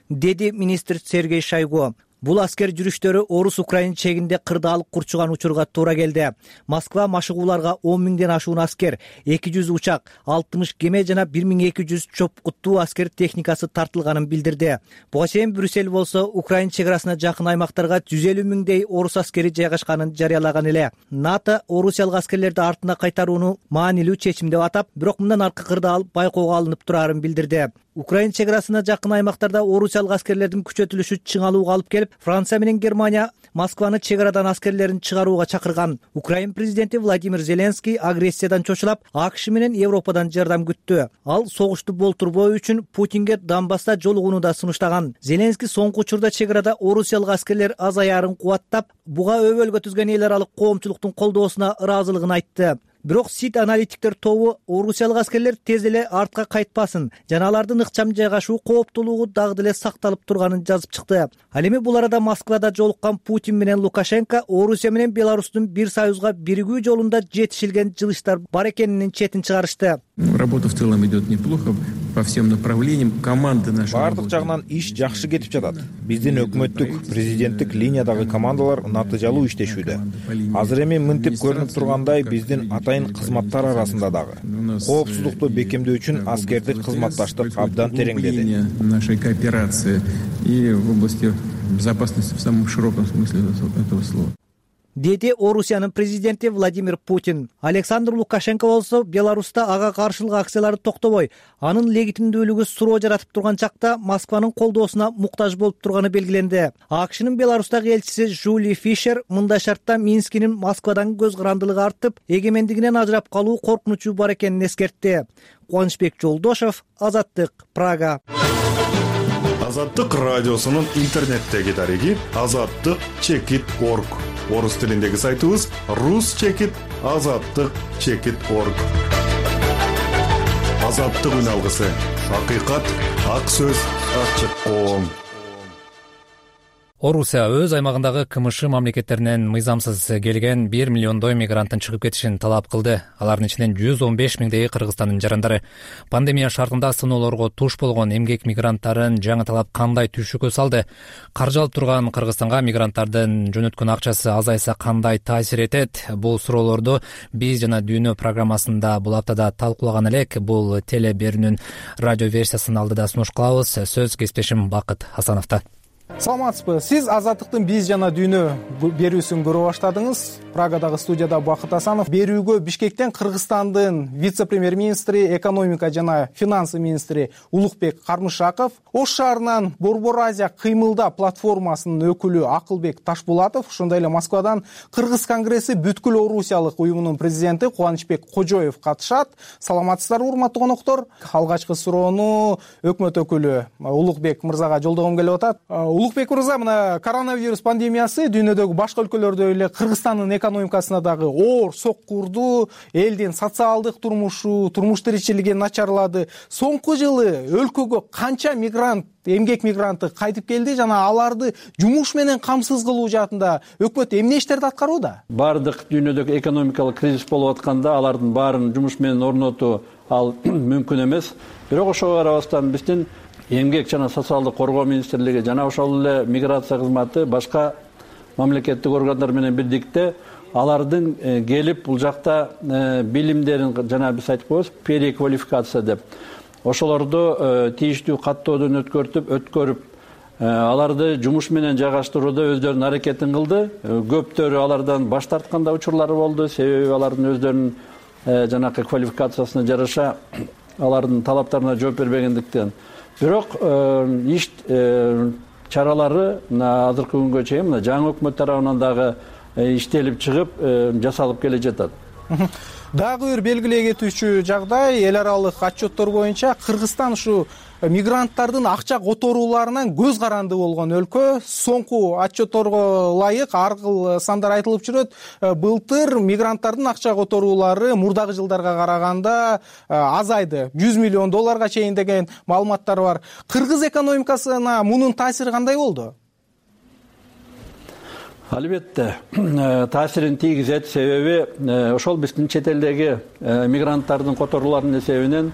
Деди министр Сергей Шойгу. Бул аскер жүрүштөрү Орус-Украина чегинде кырдаалык курчуган учурга туура келди. Москва машыгууларга он миңден ашуун аскер, эки жүз учак, алтымыш кеме жана бир миң эки жүз чопкуттуу аскер техникасы тартылганын билдирди. Буга чейин Брюссель болсо Украина чек арасына жакын аймактарга жүз элүү миңдей орус аскери жайгашканын жарыялаган эле. НАТО орусиялык аскерлерди артына кайтарууну маанилүү чечим деп атап, бирок мындан аркы кырдаал байкоого алынып турарын билдирди. Украина чек арасына жакын аймактарда орусиялык аскерлердин күчөтүлүшү чыңалууга алып келип, Франция менен Германия Москваны чек арадан аскерлерин чыгарууга чакырган. Украина президенти Владимир Зеленский агрессиядан чочулап, АКШ менен Европадан жардам күттү. Ал согушту болтурбоо үчүн Путинге Донбасста жолугууну да сунуштаган. Зеленский соңку учурда чек арада орусиялык аскерлер азаярын кубаттап, буга өбөлгө түзгөн эл аралык коомчулуктун колдоосуна ыраазылыгын айтты. Бирок СИТ аналитиктер тобу орусиялык аскерлер тез эле артка кайтпасын жана алардын ыкчам жайгашуу кооптуулугу дагы деле сакталып турганын жазып чыкты. Ал эми бул арада Москвада жолуккан Путин менен Лукашенко Орусия менен Беларустун бир союзга биригүү жолунда жетишилген жылыштар бар экенинин четин чыгарышты. Работа в целом идет неплохо по всем направлениям. Команды наши бардык жагынан иш жакшы кетип жатат. Биздин өкмөттүк, президенттик линиядагы командалар натыйжалуу иштешүүдө. Азыр эми мынтип көрүнүп тургандай биздин атайын кызматтар арасында дагы коопсуздукту бекемдөө үчүн аскердик кызматташтык абдан тереңдеди. Нашей кооперации и в области безопасности в самом широком смысле этого слова. Деди Орусиянын президенти Владимир Путин. Александр Лукашенко болсо Беларуста ага каршылык акциялары токтобой, анын легитимдүүлүгү суроо жаратып турган чакта Москванын колдоосуна муктаж болуп турганы белгиленди. АКШнын Беларустагы элчиси Жули Фишер мындай шартта Минскинин Москвадан көз карандылыгы артып, эгемендигинен ажырап калуу коркунучу бар экенин эскертти. Кубанычбек Жолдошов, Азаттык, Прага. Азаттык радиосунун интернеттеги дареги азаттык чекит орг. Орус тилиндеги сайтыбыз рус чекит азаттык чекит орг. Азаттык үн алгысы. Акыйкат, ак сөз, ачык коом. Орусия өз аймагындагы КМШ мамлекеттеринен мыйзамсыз келген бир миллиондой мигранттын чыгып кетишин талап кылды. Алардын ичинен жүз он беш миңдеги Кыргызстандын жарандары. Пандемия шартында сыноолорго туш болгон эмгек мигранттарын жаңы талап кандай түшүккө салды? Каржы алып турган Кыргызстанга мигранттардын жөнөткөн акчасы азайса кандай таасир этет? Бул суроолорду биз жана Дүйнө программасында бул аптада талкуулаган элек. Бул теле берүүнүн радио версиясын алдыда сунуш кылабыз. Сөз кесиптешим Бакыт Хасановдо. Саламатсызбы? Сиз Азаттыктын биз жана Дүйнө берүүсүн көрө баштадыңыз. Прагадагы студияда Бакыт Асанов. Берүүгө Бишкектен Кыргызстандын вице-премьер-министри, экономика жана финансы министри Улукбек Кармышаков, Ош шаарынан Борбор Азия кыймылда платформасынын өкүлү Акылбек Ташбулатов, ошондой эле Москвадан Кыргыз конгресси бүткүл орусиялык уюмунун президенти Кубанычбек Кожоев катышат. Саламатсыздарбы, урматтуу коноктор? Алгачкы суроону өкмөт өкүлү Улукбек мырзага жолдогум келип атат. Улукбек мырза, мына коронавирус пандемиясы дүйнөдөгү башка өлкөлөрдөй эле Кыргызстандын экономикасына дагы оор сокку урду, элдин социалдык турмушу, турмуш тиричилиги начарлады. Соңку жылы өлкөгө канча мигрант, эмгек мигранты кайтып келди жана аларды жумуш менен камсыз кылуу жаатында өкмөт эмне иштерди аткарууда? Бардык дүйнөдөгү экономикалык кризис болуп атканда алардын баарын жумуш менен орнотуу ал мүмкүн эмес. Бирок ошого карабастан биздин эмгек жана социалдык коргоо министрлиги жана ошол эле миграция кызматы башка мамлекеттик органдар менен бирдикте алардын келип бул жакта билимдерин жана биз айтып коебуз переквалификация деп ошолорду тийиштүү каттоодон өткөртүп өткөрүп аларды жумуш менен жайгаштырууда өздөрүнүн аракетин кылды. Көптөрү алардан баш тарткан да учурлары болду, себеби алардын өздөрүнүн жанакы квалификациясына жараша алардын талаптарына жооп бербегендиктен. Бирок иш чаралары азыркы күнгө чейин мына жаңы өкмөт тарабынан дагы иштелип чыгып жасалып келе жатат. Дагы бир белгилей кетүүчү жагдай, эл аралык отчеттор боюнча Кыргызстан ушу мигранттардын акча которууларынан көз каранды болгон өлкө. Соңку отчетторго ылайык ар кыл сандар айтылып жүрөт. Былтыр мигранттардын акча которуулары мурдагы жылдарга караганда азайды. жүз миллион долларга чейин деген маалыматтар бар. Кыргыз экономикасына мунун таасири кандай болду? Албетте таасирин тийгизет, себеби ошол биздин чет элдеги мигранттардын которууларынын эсебинен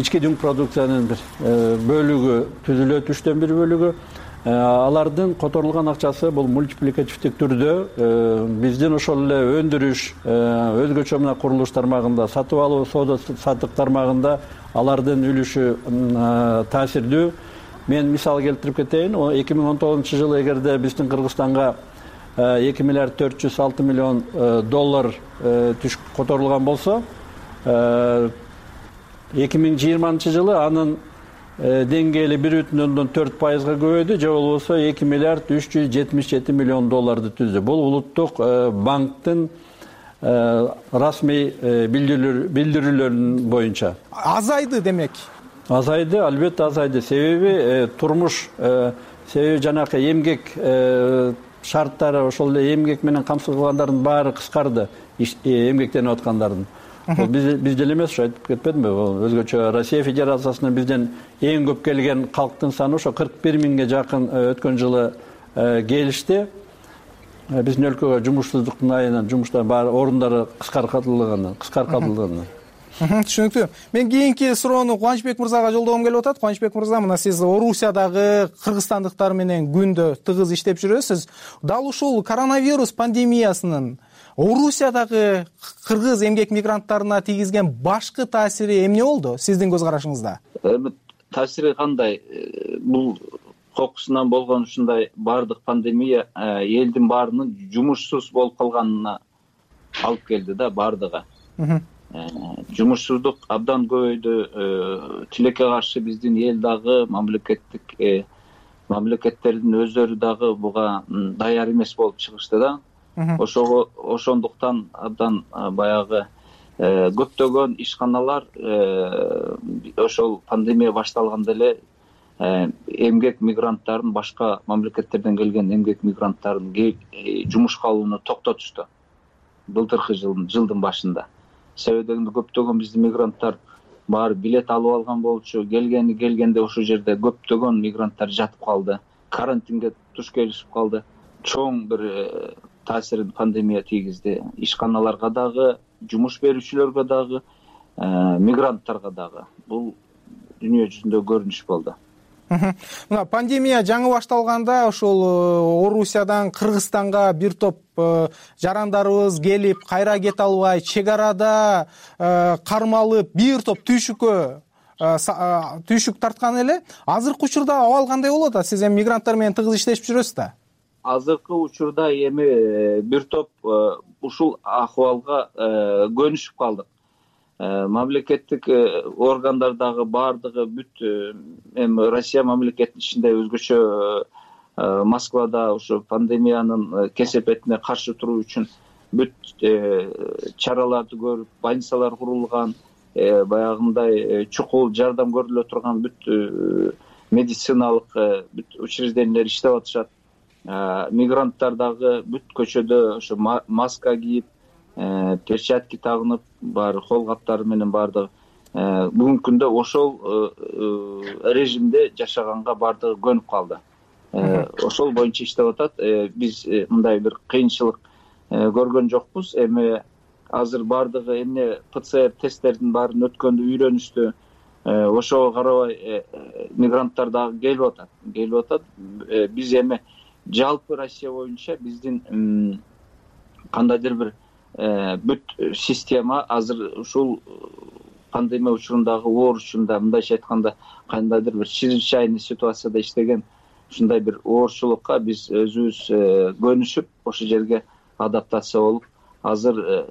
ички дүң продукциянын бир бөлүгү түзүлөт, үчтөн бир бөлүгү. Алардын которулган акчасы бул мультипликативдик түрдө биздин ошол эле өндүрүш, өзгөчө мына курулуш тармагында, сатып алуу, соода саттык тармагында алардын үлүшү таасирдүү. Мен мисал келтирип кетейин. эки миң он тогузунчу жылы эгерде биздин Кыргызстанга эки миллиард төрт жүз алты миллион доллар түш которулган болсо, эки миң жыйырманчы жылы анын деңгээли бир бүтүн ондон төрт пайызга көбөйдү, же болбосо эки миллиард үч жүз жетимиш жети миллион долларды түздү. Бул улуттук банктын расмий билдирүүлөрүнүн боюнча. Азайды демек. Азайды, албетте азайды. Себеби турмуш, себеби жанакы эмгек шарттары, ошол эле эмгек менен камсыз кылгандардын баары кыскарды, эмгектенип аткандардын. Биз деле эмес, ошо айтып кетпедимби? Өзгөчө Россия Федерациясынан бизден эң көп келген калктын саны ошо кырк бир миңге жакын өткөн жылы келишти. Биздин өлкөгө жумушсуздуктун айынан жумуштар баары орундары кыскартылган, кыскартылган. Түшүнүктүү. Мен кийинки суроону Кубанычбек мырзага жолдогум келип атат. Кубанычбек мырза, мына сиз Орусиядагы кыргызстандыктар менен күндө тыгыз иштеп жүрөсүз. Дал ушул коронавирус пандемиясынын Орусиядагы кыргыз эмгек мигранттарына тийгизген башкы таасири эмне болду сиздин көз карашыңызда? Таасири кандай? Бул кокусунан болгон ушундай бардык пандемия элдин баарынын жумушсуз болуп калганына алып келди да, бардыгы. Жумушсуздук абдан көбөйдү. Тилекке каршы биздин эл дагы, мамлекеттик мамлекеттердин өздөрү дагы буга даяр эмес болуп чыгышты да. Ошого ошондуктан абдан баягы көптөгөн ишканалар ошол пандемия башталганда эле эмгек мигранттарын, башка мамлекеттерден келген эмгек мигранттарын жумушка алууну токтотушту. Былтыркы жылдын жылдын башында. Себеби көптөгөн биздин мигранттар баары билет алып алган болчу, келгени келгенде ошол жерде көптөгөн мигранттар жатып калды, карантинге туш келишип калды. Чоң бир таасирин пандемия тийгизди. Ишканаларга дагы, жумуш берүүчүлөргө дагы, мигранттарга дагы. Бул дүйнө жүзүндө көрүнүш болду. Мына пандемия жаңы башталганда ошол Орусиядан Кыргызстанга бир топ жарандарыбыз келип, кайра кете албай, чек арада кармалып, бир топ түйшүккө түйшүк тарткан эле. Азыркы учурда абал кандай болот? Сиз эми мигранттар менен тыгыз иштешип жүрөсүз да? Азыркы учурда эми бир топ ушул акыбалга көнүшүп калдык. Мамлекеттик органдардагы баардыгы бүт эми Россия мамлекетинин ичинде өзгөчө Москвада ошо пандемиянын кесепетине каршы туруу үчүн бүт чараларды көрүп, больницалар курулган, баягындай чукул жардам көрүлө турган бүт медициналык бүт учреждениялер иштеп атышат. Мигранттар дагы бүт көчөдө ошо маска кийип, перчатки тагынып, баары кол каптары менен баардыгы бүгүнкү күндө ошол режимде жашаганга баардыгы көнүп калды. Ошол боюнча иштеп атат. Биз мындай бир кыйынчылык көргөн жокпуз. Эми азыр баардыгы эмне ПЦР тесттердин баарын өткөндү үйрөнүштү. Ошого карабай мигранттар дагы келип атат. Келип атат. Биз эми жалпы Россия боюнча биздин кандайдыр бир бүт система азыр ушул пандемия учурундагы оор учурунда, мындайча айтканда, кандайдыр бир чрезвычайный ситуацияда иштеген ушундай бир оорчулукка биз өзүбүз көнүшүп, ошол жерге адаптация болуп, азыр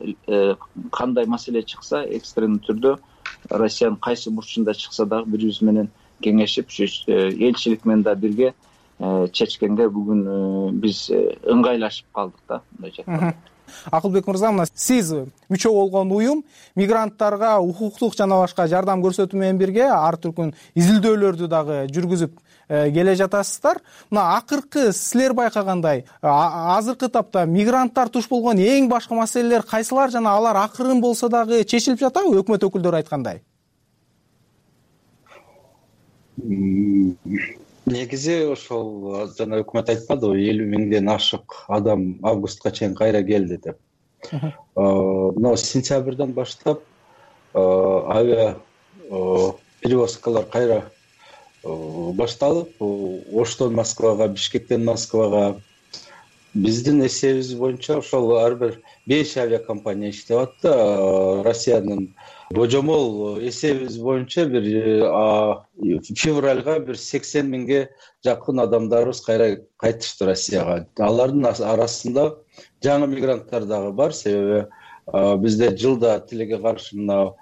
кандай маселе чыкса, экстренный түрдө Россиянын кайсы бурчунда чыкса дагы бири-бирибиз менен кеңешип, элчилик менен да бирге чечкенге бүгүн биз ыңгайлашып калдык да, мындайча айтканда. Акылбек мырза, мына сиз мүчө болгон уюм мигранттарга укуктук жана башка жардам көрсөтүү менен бирге ар түркүн изилдөөлөрдү дагы жүргүзүп келе жатасыздар. Мына акыркы силер байкагандай, азыркы тапта мигранттар туш болгон эң башкы маселелер кайсылар жана алар акырын болсо дагы чечилип жатабы, өкмөт өкүлдөрү айткандай? Негизи ошол жана өкмөт айтпадыбы, элүү миңден ашык адам августка чейин кайра келди деп. Мына сентябрдан баштап авиа перевозкалар кайра башталып, Оштон Москвага, Бишкектен Москвага. Биздин эсебибиз боюнча ошол ар бир беш авиакомпания иштеп атты. Россиянын божомол эсебибиз боюнча бир февралга бир сексен миңге жакын адамдарыбыз кайра кайтышты Россияга. Алардын арасында жаңы мигранттар дагы бар, себеби бизде жылда тилекке каршы мына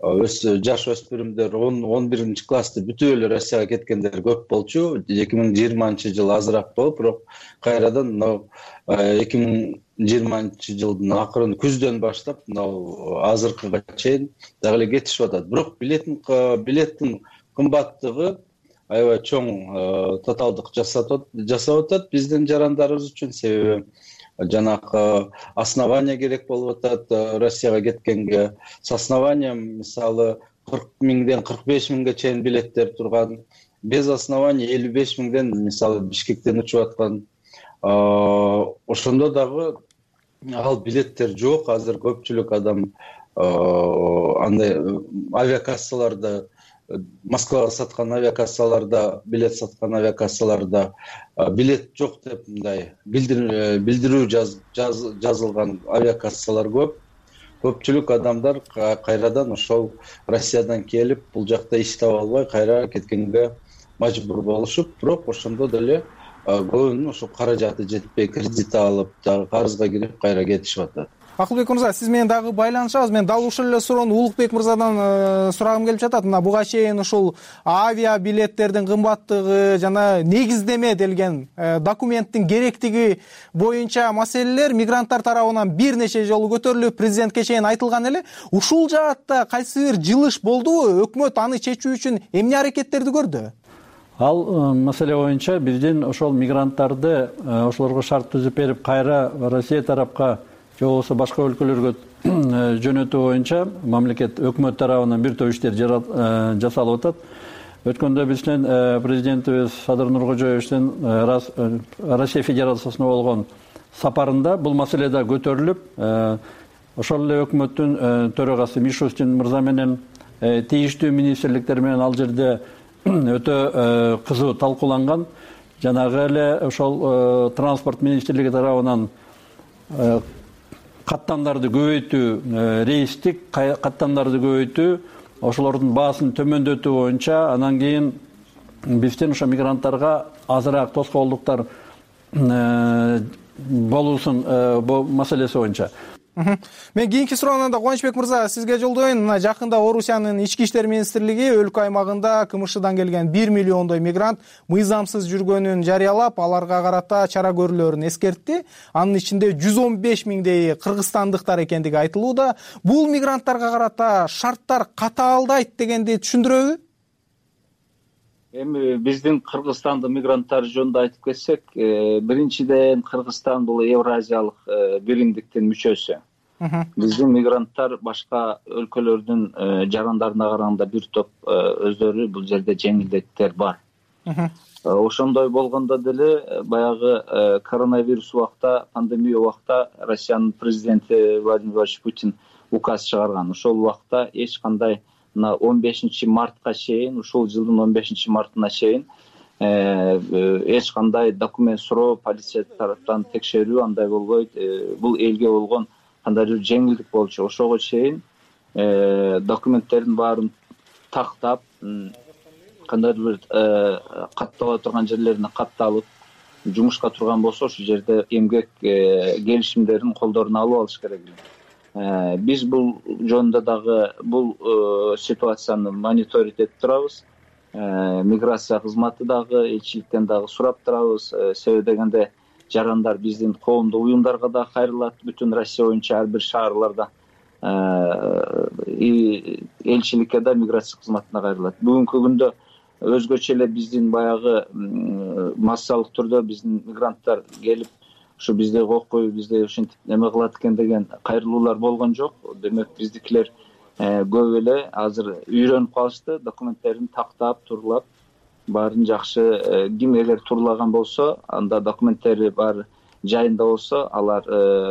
жаш өспүрүмдөр он биринчи классты бүтүп эле Россияга кеткендер көп болчу. эки миң жыйырманчы жыл азыраак болуп, бирок кайрадан мына эки миң жыйырманчы жылдын акырын күздөн баштап мына азыркыга чейин дагы эле кетишип атат. Бирок билеттин билеттин кымбаттыгы аябай чоң тоталдык жасап атат биздин жарандарыбыз үчүн, себеби жанакы основания керек болуп атат Россияга кеткенге. С основанием мисалы кырк миңден кырк беш миңге чейин билеттер турган, без основания элүү беш миңден мисалы Бишкектен учуп аткан. Ошондо дагы ал билеттер жок. Азыр көпчүлүк адам андай авиакассаларда, Москвага саткан авиакассаларда, билет саткан авиакассаларда билет жок деп мындай билдирүү жазылган авиакассалар көп. Көпчүлүк адамдар кайрадан ошол Россиядан келип, бул жакта иш таба албай кайра кеткенге мажбур болушуп, бирок ошондо деле көбүнүн ошо каражаты жетпей кредит алып, дагы карызга кирип кайра кетишип атат. Акылбек мырза, сиз менен дагы байланышабыз. Мен дал ушул эле суроону Улукбек мырзадан сурагым келип жатат. Мына буга чейин ушул авиа билеттердин кымбаттыгы жана негиздеме делген документтин керектиги боюнча маселелер мигранттар тарабынан бир нече жолу көтөрүлүп, президентке чейин айтылган эле. Ушул жаатта кайсы бир жылыш болдубу? Өкмөт аны чечүү үчүн эмне аракеттерди көрдү? Ал маселе боюнча биздин ошол мигранттарды ошолорго шарт түзүп берип, кайра Россия тарапка же болбосо башка өлкөлөргө жөнөтүү боюнча мамлекет өкмөт тарабынан бир топ иштер жасалып атат. Өткөндө биздин президентибиз Садыр Нуркожоевичтин Россия Федерациясына болгон сапарында бул маселе да көтөрүлүп, ошол эле өкмөттүн төрагасы Мишустин мырза менен тийиштүү министрликтер менен ал жерде өтө кызуу талкууланган. Жанагы эле ошол транспорт министрлиги тарабынан каттамдарды көбөйтүү, рейстик каттамдарды көбөйтүү, ошолордун баасын төмөндөтүү боюнча, анан кийин биздин ошо мигранттарга азыраак тоскоолдуктар болуусун маселеси боюнча. Мен кийинки суроону да Кубанычбек мырза сизге жолдоюн. Мына жакында Орусиянын ички иштер министрлиги өлкө аймагында КМШдан келген бир миллиондой мигрант мыйзамсыз жүргөнүн жарыялап, аларга карата чара көрүүлөрүн эскертти. Анын ичинде жүз он беш миңдейи кыргызстандыктар экендиги айтылууда. Бул мигранттарга карата шарттар катаалдайт дегенди түшүндүрөбү? эми биздин кыргызстандын мигранттары жөнүндө айтып кетсек, биринчиден Кыргызстан бул Евразиялык биримдиктин мүчөсү. Биздин мигранттар башка өлкөлөрдүн жарандарына караганда бир топ өздөрү бул жерде жеңилдеттер бар. Ошондой болгондо деле баягы коронавирус убакта, пандемия убакта Россиянын президенти Владимир Владимирович Путин указ чыгарган. Ошол убакта эч кандай мына он бешинчи мартка чейин, ушул жылдын он бешинчи мартына чейин эч кандай документ суроо, полиция тараптан текшерүү андай болбойт. Бул элге болгон кандайдыр жеңилдик болчу. Ошого чейин документтердин баарын тактап, кандайдыр бир каттала турган жерлерине катталып, жумушка турган болсо ошол жерде эмгек келишимдерин колдоруна алып алыш керек. Биз бул жөнүндө дагы бул ситуацияны мониторить этип турабыз. Миграция кызматы дагы, элчиликтен дагы сурап турабыз. Себеби дегенде жарандар биздин коомдук уюмдарга да кайрылат, бүтүн Россия боюнча ар бир шаарларда элчиликке да, миграция кызматына кайрылат. Бүгүнкү күндө өзгөчө эле биздин баягы массалык түрдө биздин мигранттар келип ушу бизди кокуй, бизди ушинтип неме кылат экен деген кайрылуулар болгон жок. Демек биздикилер көп эле азыр үйрөнүп калышты, документтерин тактап, турлап, баарын жакшы. Ким эгер турлаган болсо, анда документтери баары жайында болсо, алар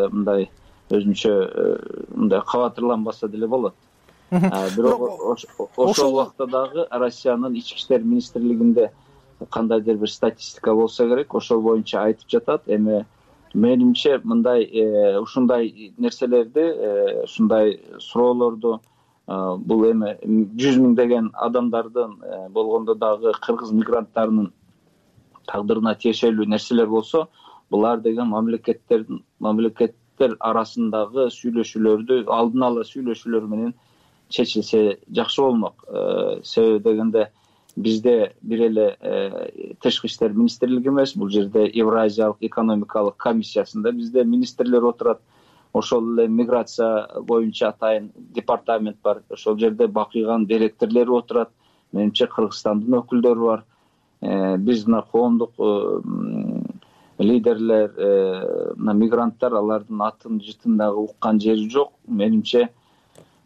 мындай өзүнчө мындай кабатырланбаса деле болот. Бирок ошол убакта дагы Россиянын ички иштер министрлигинде кандайдыр бир статистика болсо керек, ошол боюнча айтып жатат. Эми менимче мындай ушундай нерселерди, ушундай суроолорду бул эми жүз миңдеген адамдардын болгондо дагы кыргыз мигранттарынын тагдырына тиешелүү нерселер болсо, булар деген мамлекеттердин мамлекеттер арасындагы сүйлөшүүлөрдү алдын ала сүйлөшүүлөр менен чечилсе жакшы болмок. Себеби дегенде бизде бир эле тышкы иштер министрлиги эмес, бул жерде Евразиялык экономикалык комиссиясында бизде министрлер отурат. Ошол эле миграция боюнча атайын департамент бар. Ошол жерде бакыйган директорлори отурат. Менимче Кыргызстандын өкүлдөрү бар. Биз мына коомдук лидерлер, мына мигранттар алардын атын жытын дагы уккан жери жок. Менимче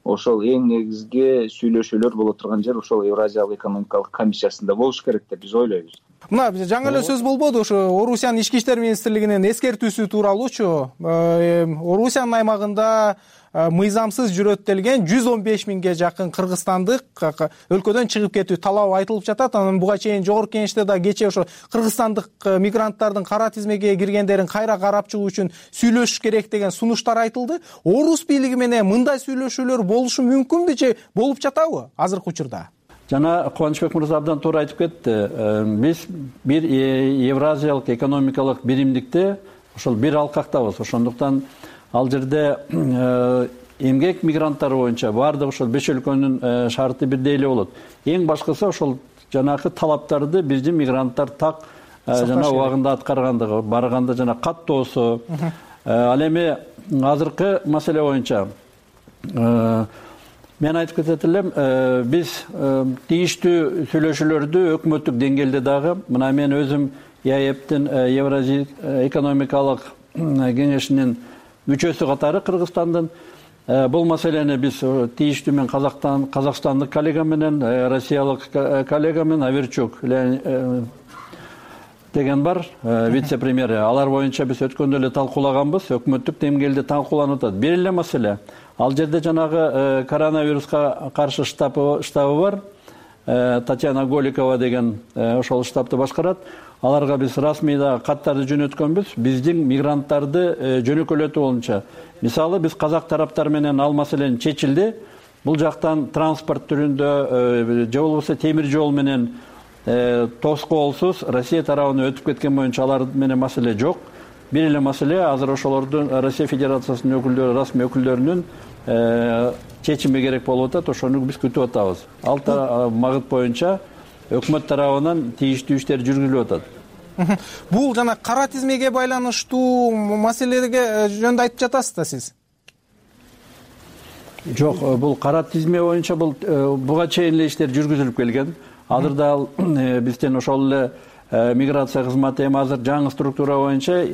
ошол эң негизги сүйлөшүүлөр боло турган жер ошол Евразиялык экономикалык комиссиясында болуш керек деп биз ойлойбуз. Мына жаңы эле сөз болбоду, ошо Орусиянын ички иштер министрлигинин эскертүүсү тууралуучу. Орусиянын аймагында мыйзамсыз жүрөт делген жүз он беш миңге жакын кыргызстандык өлкөдөн чыгып кетүү талабы айтылып жатат. Анан буга чейин жогорку кеңеште да кечээ ошо кыргызстандык мигранттардын кара тизмеге киргендерин кайра карап чыгуу үчүн сүйлөшүш керек деген сунуштар айтылды. Орус бийлиги менен мындай сүйлөшүүлөр болушу мүмкүнбү же болуп жатабы азыркы учурда? Жана Кубанычбек мырза абдан туура айтып кетти. Биз бир Евразиялык экономикалык биримдикте ошол бир алкактабыз. Ошондуктан ал жерде эмгек мигранттары боюнча баардык ошол беш өлкөнүн шарты бирдей эле болот. Эң башкысы ошол жанагы талаптарды биздин мигранттар так жана убагында аткаргандыгы, барганда жана каттоосу. Ал эми азыркы маселе боюнча мен айтып кетет элем, биз тийиштүү сүйлөшүүлөрдү өкмөттүк деңгээлде дагы, мына мен өзүм ЕАЭБтин Евразия экономикалык кеңешинин мүчөсү катары Кыргызстандын бул маселени биз тийиштүү мен казакстандык коллега менен, россиялык коллега менен Аверчук деген бар, вице-премьери. Алар боюнча биз өткөндө эле талкуулаганбыз, өкмөттүк деңгээлде талкууланып атат. Бир эле маселе. Ал жерде жанагы коронавируска каршы штабы бар, Татьяна Голикова деген ошол штабты башкарат. Аларга биз расмий да каттарды жөнөткөнбүз. Биздин мигранттарды жөнөкөлөтүү боюнча. Мисалы биз казак тараптар менен ал маселени чечилди. Бул жактан транспорт түрүндө же болбосо темир жол менен тоскоолсуз Россия тарабына өтүп кеткен боюнча алар менен маселе жок. Бир эле маселе азыр ошолордун Россия Федерациясынын өкүлдөрү, расмий өкүлдөрүнүн чечими керек болуп атат. Ошону биз күтүп атабыз. Ал магыт боюнча өкмөт тарабынан тийиштүү иштер жүргүзүлүп атат. Бул жана кара тизмеге байланыштуу маселелерге жөнүндө айтып жатасыз да сиз? Жок, бул кара тизме боюнча бул буга чейин эле иштер жүргүзүлүп келген. азыр дагы бизден ошол эле миграция кызматы эми азыр жаңы структура боюнча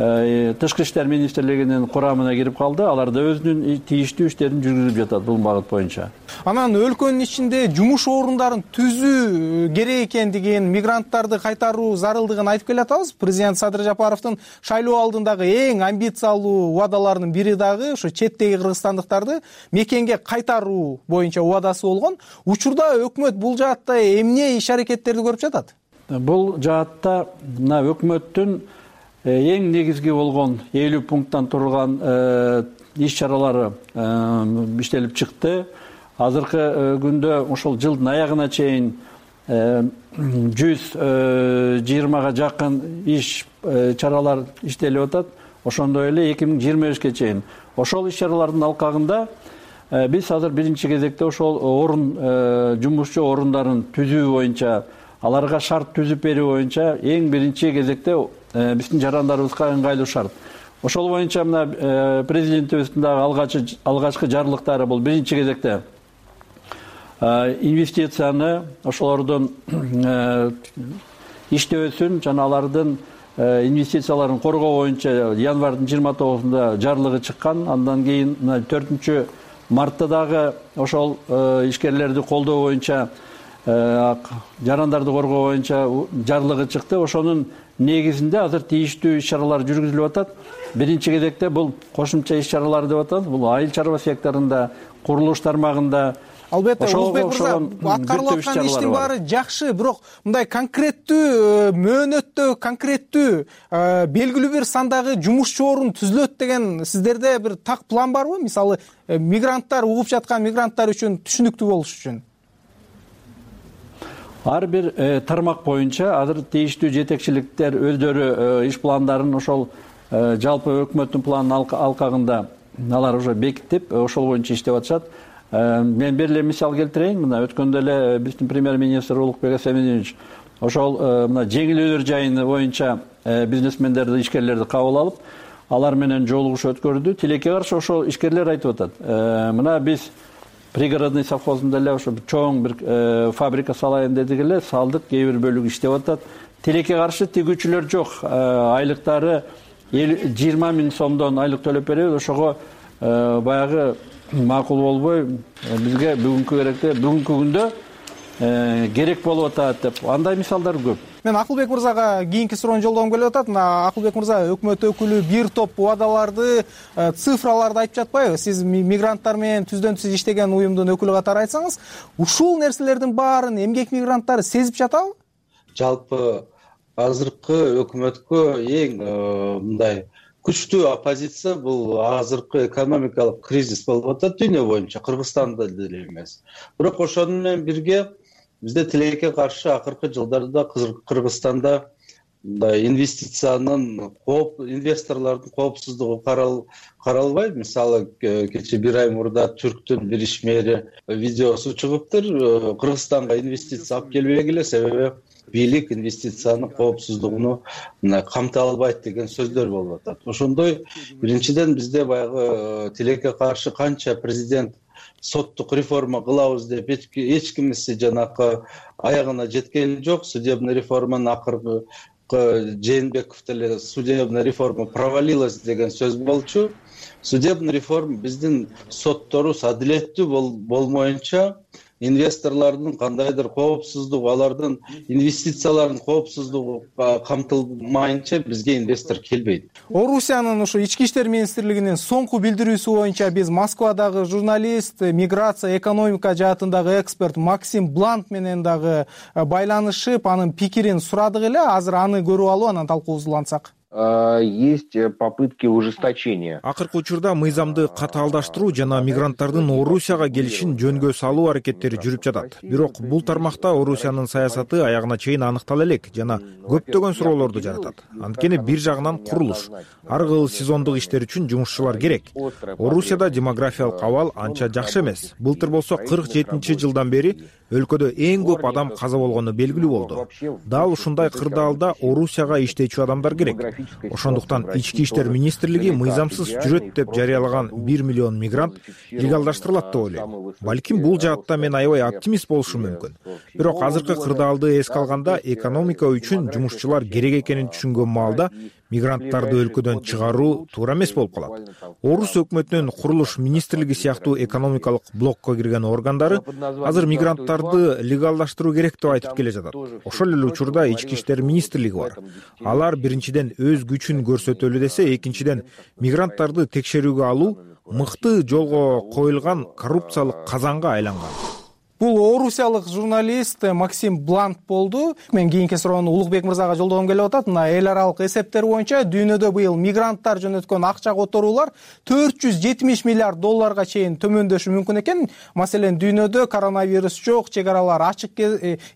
тышкы иштер министрлигинин курамына кирип калды. Алар да өзүнүн тийиштүү иштерин жүргүзүп жатат бул багыт боюнча. Анан өлкөнүн ичинде жумуш орундарын түзүү керек экендигин, мигранттарды кайтаруу зарылдыгын айтып келатабыз. Президент Садыр Жапаровдун шайлоо алдындагы эң амбициялуу убадаларынын бири дагы ошо четтеги кыргызстандыктарды мекенге кайтаруу боюнча убадасы болгон. Учурда өкмөт бул жаатта эмне иш аракеттерди көрүп жатат? Бул жаатта мына өкмөттүн эң негизги болгон элүү пункттан турган иш чаралары иштелип чыкты. Азыркы күндө ошол жылдын аягына чейин жүз жыйырмага жакын иш чаралар иштелип атат. Ошондой эле эки миң жыйырма бешке чейин. Ошол иш чаралардын алкагында биз азыр биринчи кезекте ошол орун жумушчу орундарын түзүү боюнча, аларга шарт түзүп берүү боюнча эң биринчи кезекте биздин жарандарыбызга ыңгайлуу шарт. Ошол боюнча мына президентибиздин дагы алгачкы жарлыктары бул биринчи кезекте инвестицияны ошолордун иштөөсүн жана алардын инвестицияларын коргоо боюнча январдын жыйырма тогузунда жарлыгы чыккан. Андан кийин төртүнчү мартта дагы ошол ишкерлерди колдоо боюнча, жарандарды коргоо боюнча жарлыгы чыкты. Ошонун негизинде азыр тийиштүү иш чаралар жүргүзүлүп атат. Биринчи кезекте бул кошумча иш чаралар деп атат. Бул айыл чарба секторунда, курулуш тармагында. Албетте, Улукбек мырза, аткарылып аткан иштин баары жакшы, бирок мындай конкреттүү мөөнөттө, конкреттүү белгилүү бир сандагы жумушчу орун түзүлөт деген сиздерде бир так план барбы? Мисалы, мигранттар, угуп жаткан мигранттар үчүн түшүнүктүү болуш үчүн. Ар бир тармак боюнча азыр тийиштүү жетекчиликтер өздөрү иш пландарын ошол жалпы өкмөттүн планынын алкагында алар уже бекитип, ошол боюнча иштеп атышат. Мен бир эле мисал келтирейин. Мына өткөндө эле биздин премьер-министр Улукбек Асеминович ошол мына жеңилөөлөр жайыны боюнча бизнесмендерди, ишкерлерди кабыл алып, алар менен жолугуш өткөрдү. Тилекке каршы ошол ишкерлер айтып атат. Мына биз пригородный совхозунда эле ошо чоң бир фабрика салайын дедик эле, салдык, кээ бир бөлүгү иштеп атат. Тилекке каршы тигүүчүлөр жок. Айлыктары жыйырма миң сомдон айлык төлөп беребиз. Ошого баягы макул болбой бизге бүгүнкү керекте, бүгүнкү күндө керек болуп атат деп. Андай мисалдар көп. Мен Акылбек мырзага кийинки суроону жолдогум келип атат. Мына Акылбек мырза, өкмөт өкүлү бир топ убадаларды, цифраларды айтып жатпайбы? Сиз мигранттар менен түздөн түз иштеген уюмдун өкүлү катары айтсаңыз, ушул нерселердин баарын эмгек мигранттары сезип жатабы? Жалпы азыркы өкмөткө эң мындай күчтүү оппозиция бул азыркы экономикалык кризис болуп атат дүйнө боюнча, Кыргызстанда деле эмес. Бирок ошону менен бирге бизде тилекке каршы акыркы жылдарда Кыргызстанда мындай инвестициянын кооп, инвесторлордун коопсуздугу каралбайт. Мисалы, кече бир ай мурда Түрктүн бир ишмери видеосу чыгыптыр. Кыргызстанга инвестиция алып келбегиле, себеби бийлик инвестициянын коопсуздугуну камтай албайт деген сөздөр болуп атат. Ошондой биринчиден бизде баягы тилекке каршы канча президент соттук реформа кылабыз деп эч кимиси жанакы аягына жеткени жок. Судебный реформанын акыркы Жээнбеков деле судебная реформа провалилась деген сөз болчу. Судебный реформа биздин сотторубуз адилеттүү болмоюнча, инвесторлордун кандайдыр коопсуздугу, алардын инвестицияларынын коопсуздугу камтылмайынча бизге инвестор келбейт. Орусиянын ушу ички иштер министрлигинин соңку билдирүүсү боюнча биз Москвадагы журналист, миграция, экономика жаатындагы эксперт Максим Блант менен дагы байланышып, анын пикирин сурадык эле. Азыр аны көрүп алып, анан талкуубузду улантсак. Есть попытки ужесточения. Акыркы учурда мыйзамды катаалдаштыруу жана мигранттардын Орусияга келишин жөнгө салуу аракеттери жүрүп жатат. Бирок бул тармакта Орусиянын саясаты аягына чейин аныктала элек жана көптөгөн суроолорду жаратат. Анткени бир жагынан курулуш, ар кыл сезондук иштер үчүн жумушчулар керек. Орусияда демографиялык абал анча жакшы эмес. Былтыр болсо кырк жетинчи жылдан бери өлкөдө эң көп адам каза болгону белгилүү болду. Дал ушундай кырдаалда Орусияга иштечү адамдар керек. ошондуктан ички иштер министрлиги мыйзамсыз жүрөт деп жарыялаган бир миллион мигрант легалдаштырылат деп ойлойм. Балким бул жаатта мен аябай оптимист болушум мүмкүн. Бирок азыркы кырдаалды эске алганда экономика үчүн жумушчулар керек экенин түшүнгөн маалда мигранттарды өлкөдөн чыгаруу туура эмес болуп калат. Орус өкмөтүнүн курулуш министрлиги сыяктуу экономикалык блокко кирген органдары азыр мигранттарды легалдаштыруу керек деп айтып келе жатат. Ошол эле учурда ички иштер министрлиги бар. Алар биринчиден өз күчүн көрсөтөлү десе, экинчиден мигранттарды текшерүүгө алуу мыкты жолго коюлган коррупциялык казанга айланган. Бул орусиялык журналист Максим Блант болду. Мен кийинки суроону Улукбек мырзага жолдогом келип атат. Мына эл аралык эсептер боюнча дүйнөдө быйыл мигранттар жөнөткөн акча которуулар төрт жүз жетимиш миллиард долларга чейин төмөндөшү мүмкүн экен. Маселен, дүйнөдө коронавирус жок, чек аралар ачык.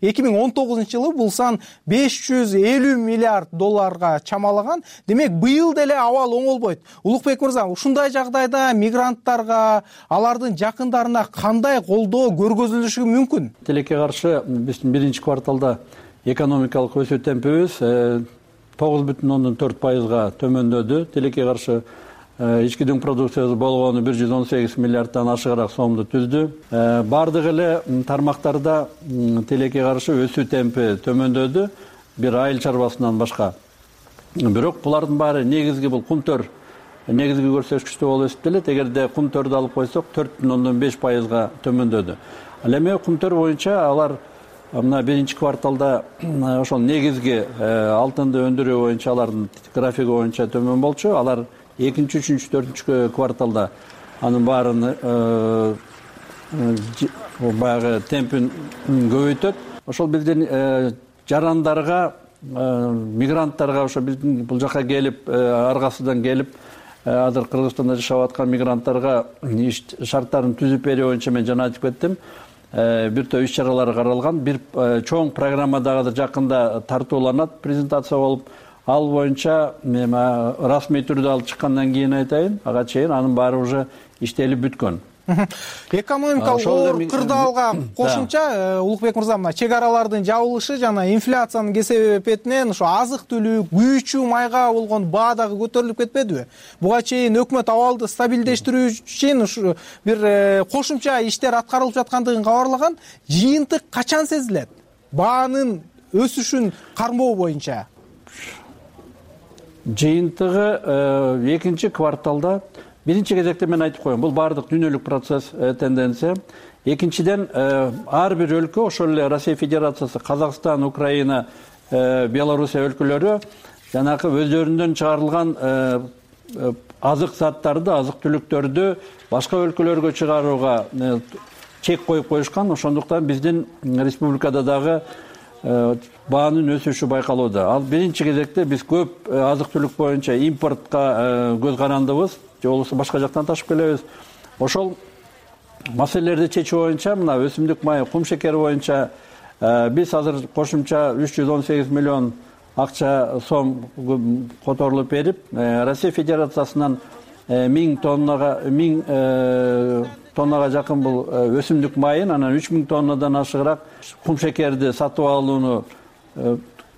эки миң он тогузунчу жылы бул сан беш жүз элүү миллиард долларга чамалаган. Демек, быйыл деле абал оңолбойт. Улукбек мырза, ушундай жагдайда мигранттарга, алардын жакындарына кандай колдоо көргөзүлүшү мүмкүн? Тилекке каршы биздин биринчи кварталда экономикалык өсүү темпибиз тогуз бүтүн ондон төрт пайызга төмөндөдү. Тилекке каршы ички дүң продукциясы болгону бир жүз он сегиз миллиарддан ашыгыраак сомду түздү. Бардык эле тармактарда тилекке каршы өсүү темпи төмөндөдү, бир айыл чарбасынан башка. Бирок булардын баары негизги бул кумтөр негизги көрсөткүчтүү болуп эсептелет. Эгерде кумтөрдү алып койсок төрт бүтүн ондон беш пайызга төмөндөдү. Ал эми кумтөр боюнча алар мына биринчи кварталда ошол негизги алтынды өндүрүү боюнча алардын графиги боюнча төмөн болчу. Алар экинчи, үчүнчү, төртүнчү кварталда анын баарын баягы темпин көбөйтөт. Ошол биздин жарандарга, мигранттарга, ошо биздин бул жака келип, аргасыдан келип азыр Кыргызстанда жашап аткан мигранттарга иш шарттарын түзүп берүү боюнча мен жана айтып кеттим. Бир топ иш чаралар каралган. Бир чоң программа дагы жакында тартууланат, презентация болуп. Ал боюнча мен расмий түрдө алып чыккандан кийин айтайын, ага чейин анын баары уже иштелип бүткөн. Экономикалык оор кырдаалга кошумча, Улукбек мырза, мына чек аралардын жабылышы жана инфляциянын кесепетинен ошо азык-түлүк, күйүүчү майга болгон баа дагы көтөрүлүп кетпедиби? Буга чейин өкмөт абалды стабилдештирүү үчүн ушу бир кошумча иштер аткарылып жаткандыгын кабарлаган. Жыйынтык качан сезилет? Баанын өсүшүн кармоо боюнча. Жыйынтыгы экинчи кварталда биринчи кезекте мен айтып коем, бул баардык дүйнөлүк процесс, тенденция. Экинчиден, ар бир өлкө, ошол эле Россия Федерациясы, Казакстан, Украина, Белоруссия өлкөлөрү жанагы өздөрүнөн чыгарылган азык заттарды, азык-түлүктөрдү башка өлкөлөргө чыгарууга чек коюп коюшкан. Ошондуктан биздин республикада дагы баанын өсүшү байкалууда. Ал биринчи кезекте биз көп азык-түлүк боюнча импортко көз карандыбыз, же болбосо башка жактан ташып келебиз. Ошол маселелерди чечүү боюнча мына өсүмдүк майы, кум шекери боюнча биз азыр кошумча үч жүз он сегиз миллион акча сом которулуп берип, Россия Федерациясынан миң тоннага миң тоннага жакын бул өсүмдүк майын, анан үч миң тоннадан ашыгыраак кум шекерди сатып алууну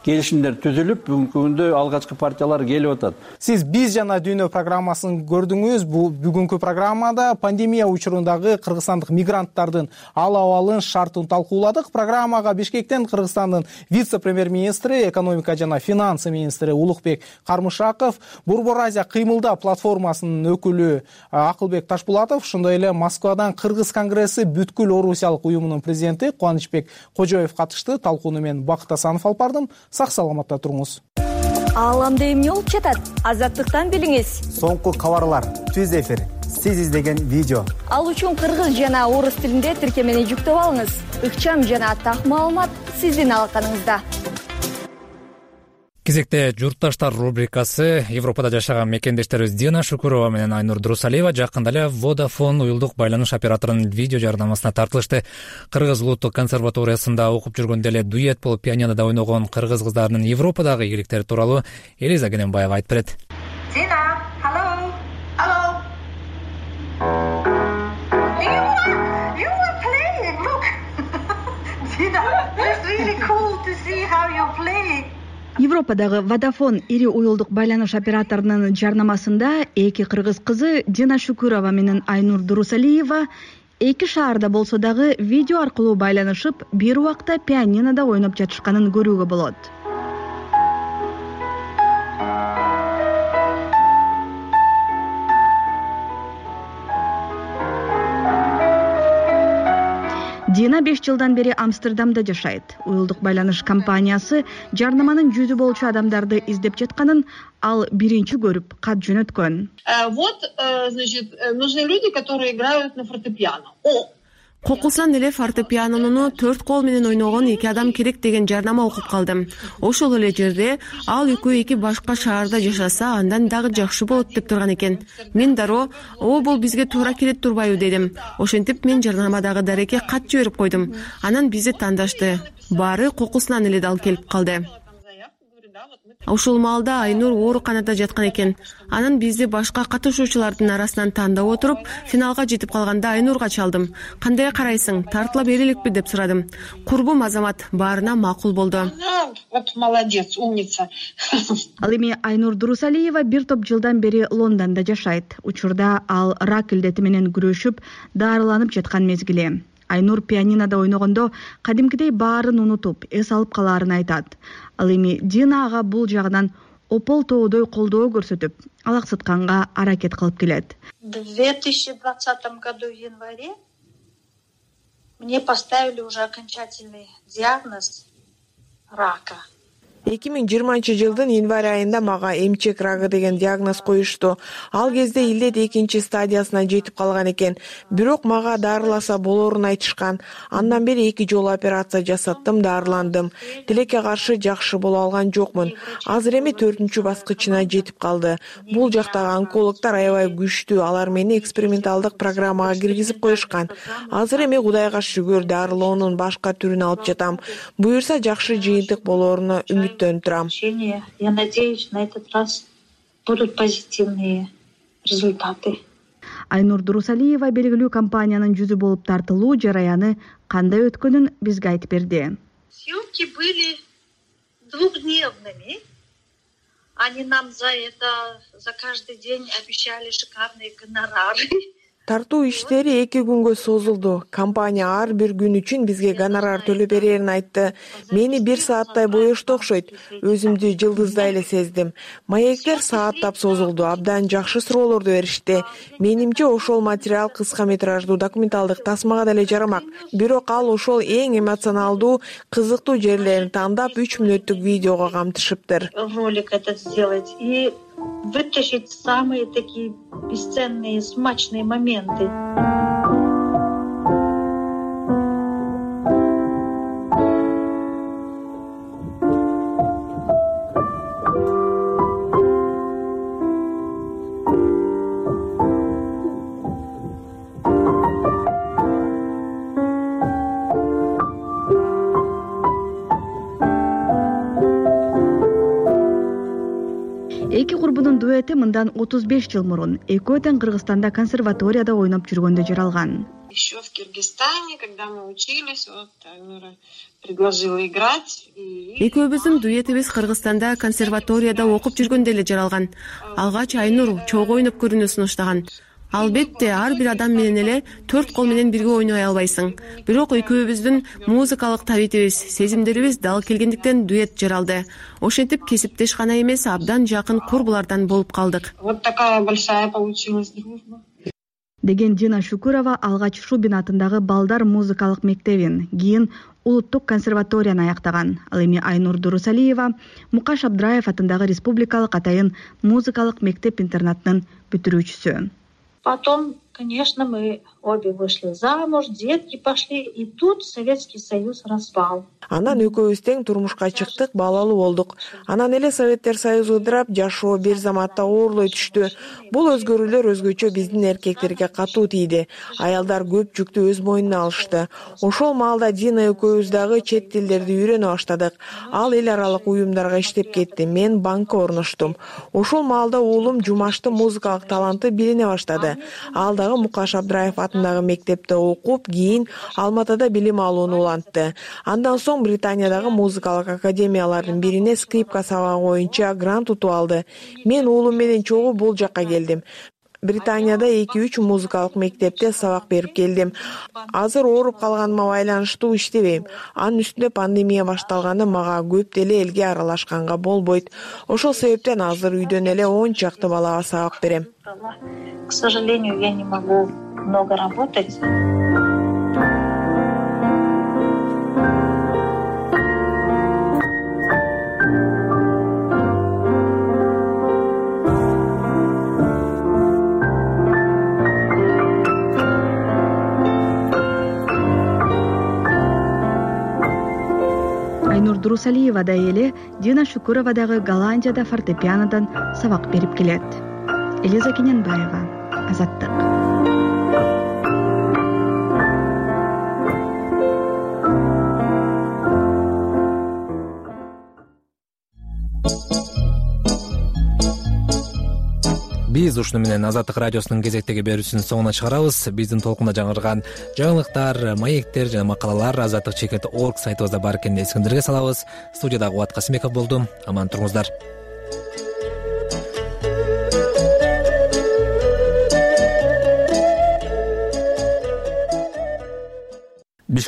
келишимдер түзүлүп, бүгүнкү күндө алгачкы партиялар келип атат. Сиз биз жана дүйнө программасын көрдүңүз. Бул бүгүнкү программада пандемия учурундагы кыргызстандык мигранттардын ал абалын, шартын талкууладык. Программага Бишкектен Кыргызстандын вице-премьер-министри, экономика жана финансы министри Улукбек Кармышаков, Борбор Азия кыймылда платформасынын өкүлү Акылбек Ташпулатов, ошондой эле Москвадан Кыргыз конгресси бүткүл орусиялык уюмунун президенти Кубанычбек Кожоев катышты. Талкууну мен Бакыт Асанов алып бардым. Сак саламатта туруңуз. Ааламда эмне болуп жатат? Азаттыктан билиңиз. Соңку кабарлар, түз эфир, сиз издеген видео. Ал үчүн кыргыз жана орус тилинде тиркемени жүктөп алыңыз. Ыкчам жана так маалымат сиздин алаканыңызда. Кезекте журтташтар рубрикасы. Европада жашаган мекендештерибиз Дина Шукурова менен Айнур Дурусалиева жакында эле Vodafone уюлдук байланыш операторунун видео жардамысына тартылышты. Кыргыз улуттук консерваториясында окуп жүргөндө эле дуэт болуп пианинода ойногон кыргыз кыздарынын Европадагы ийгиликтери тууралуу Элиза Кененбаева айтып берет. Dina, hello, hello. You you were playing. Look, Dina, it's really cool to see how you're playing. Европадагы Vodafone ири уюлдук байланыш операторунун жарнамасында эки кыргыз кызы Дина Шукурова менен Айнур Дурусалиева эки шаарда болсо дагы видео аркылуу байланышып, бир убакта пианинода ойноп жатышканын көрүүгө болот. Дина беш жылдан бери Амстердамда жашайт. Уюлдук байланыш компаниясы жарнаманын жүзү болчу адамдарды издеп жатканын ал биринчи көрүп кат жөнөткөн. Вот, значит, нужны люди, которые играют на фортепиано. О, кокусунан эле фортепианону төрт кол менен ойногон эки адам керек деген жарнама окуп калдым. Ошол эле жерде ал экөө эки башка шаарда жашаса, андан дагы жакшы болот деп турган экен. Мен дароо, "О, бул бизге туура келет турбайбы?" дедим. Ошентип мен жарнамадагы дарекке кат жиберип койдум. Анан бизди тандашты. Баары кокусунан эле дал келип калды. Ошол маалда Айнур ооруканада жаткан экен. Анан бизди башка катышуучулардын арасынан тандап отуруп, финалга жетип калганда Айнурга чалдым. "Кандай карайсың? Тартыла береликпи?" деп сурадым. Курбум Азамат баарына макул болду. Вот молодец, умница. Ал эми Айнур Дурусалиева бир топ жылдан бери Лондондо жашайт. Учурда ал рак илдети менен күрөшүп, дарыланып жаткан мезгили. Айнур пианинода ойногондо кадимкидей баарын унутуп, эс алып калаарын айтат. Ал эми Дина ага бул жагынан опол тоодой колдоо көрсөтүп, алаксытканга аракет кылып келет. В две тысячи двадцатом году в январе мне поставили уже окончательный диагноз рака. эки миң жыйырманчы жылдын январь айында мага эмчек рагы деген диагноз коюшту. Ал кезде илдет экинчи стадиясына жетип калган экен. Бирок мага дарыласа болорун айтышкан. Андан бери эки жолу операция жасаттым, дарыландым. Тилекке каршы жакшы боло алган жокмун. Азыр эми төртүнчү баскычына жетип калды. Бул жактагы онкологдор аябай күчтүү. Алар мени эксперименталдык программага киргизип коюшкан. Азыр эми Кудайга шүгүр дарылоонун башка түрүн алып жатам. Буюрса жакшы жыйынтык болоруна үмүт. Я надеюсь, на этот раз будут позитивные результаты. Айнур Дурусалиева белгилүү компаниянын жүзү болуп тартылуу жараяны кандай өткөнүн бизге айтып берди. Съемки были двухдневными. Они нам за это, за каждый день обещали шикарные гонорары. Тартуу иштери эки күнгө созулду. Компания ар бир күн үчүн бизге гонорар төлөп берерин айтты. Мени бир сааттай боешту окшойт. Өзүмдү жылдыздай эле сездим. Маектер сааттап созулду. Абдан жакшы суроолорду беришти. Менимче ошол материал кыска метраждуу документалдык тасмага деле жарамак. Бирок ал ошол эң эмоционалдуу, кызыктуу жерлерин тандап үч мүнөттүк видеого камтышыптыр. Ролик этот сделать и вытащить самые такие бесценные, смачные моменты. Эки курбунун дуэти мындан отуз беш жыл мурун экөө тең Кыргызстанда консерваторияда ойноп жүргөндө жаралган. Еще в Киргизстане, когда мы учились, вот Айнура предложила играть. Экөөбүздүн дуэтибиз Кыргызстанда консерваторияда окуп жүргөндө эле жаралган. Алгач Айнур чогуу ойноп көрүүнү сунуштаган. Албетте ар бир адам менен эле төрт кол менен бирге ойной албайсың. Бирок экөөбүздүн музыкалык табитибиз, сезимдерибиз дал келгендиктен дуэт жаралды. Ошентип кесиптеш гана эмес, абдан жакын курбулардан болуп калдык. Вот такая большая получилась дружба. Деген Дина Шукурова алгач Шубин атындагы балдар музыкалык мектебин, кийин улуттук консерваторияны аяктаган. Ал эми Айнур Дурусалиева Мукаш Абдраев атындагы республикалык атайын музыкалык мектеп-интернатынын бүтүрүүчүсү. Потом, конечно, мы обе вышли замуж, детки пошли, и тут Советский Союз распал. Анан экөөбүз тең турмушка чыктык, балалуу болдук. Анан эле Советтер Союзу ыдырап, жашоо бир заматта оорлой түштү. Бул өзгөрүүлөр өзгөчө биздин эркектерге катуу тийди. Аялдар көп жүктү өз мойнуна алышты. Ошол маалда Дина экөөбүз дагы чет тилдерди үйрөнө баштадык. Ал эл аралык уюмдарга иштеп кетти. Мен банкка орноштум. Ошол маалда уулум Жумаштын музыкалык таланты билине баштады. Ал да Казакстандагы Мукаш Абдраев атындагы мектепте окуп, кийин Алматыда билим алууну улантты. Андан соң Британиядагы музыкалык академиялардын бирине скрипка сабагы боюнча грант утуп алды. Мен уулум менен чогуу бул жакка келдим. Британияда эки үч музыкалык мектепте сабак берип келдим. Азыр ооруп калганыма байланыштуу иштебейм. Анын үстүнө пандемия башталганда мага көп деле элге аралашканга болбойт. Ошол себептен азыр үйдөн эле он чакты балага сабак берем. К сожалению, я не могу много работать. Айнур Дурусалиевадай эле Дина Шукурова дагы Голландияда фортепианодан сабак берип келет. Элиза Кененбаева, Азаттык. Биз ушуну менен Азаттык радиосунун кезектеги берүүсүнүн соңуна чыгарабыз. Биздин толкунда жаңырган жаңылыктар, маектер жана макалалар азаттык чекит точка орг сайтыбызда бар экенин эсиңиздерге салабыз. Студияда Кубат Касымбеков болдум. Аман туруңуздар. Бишкек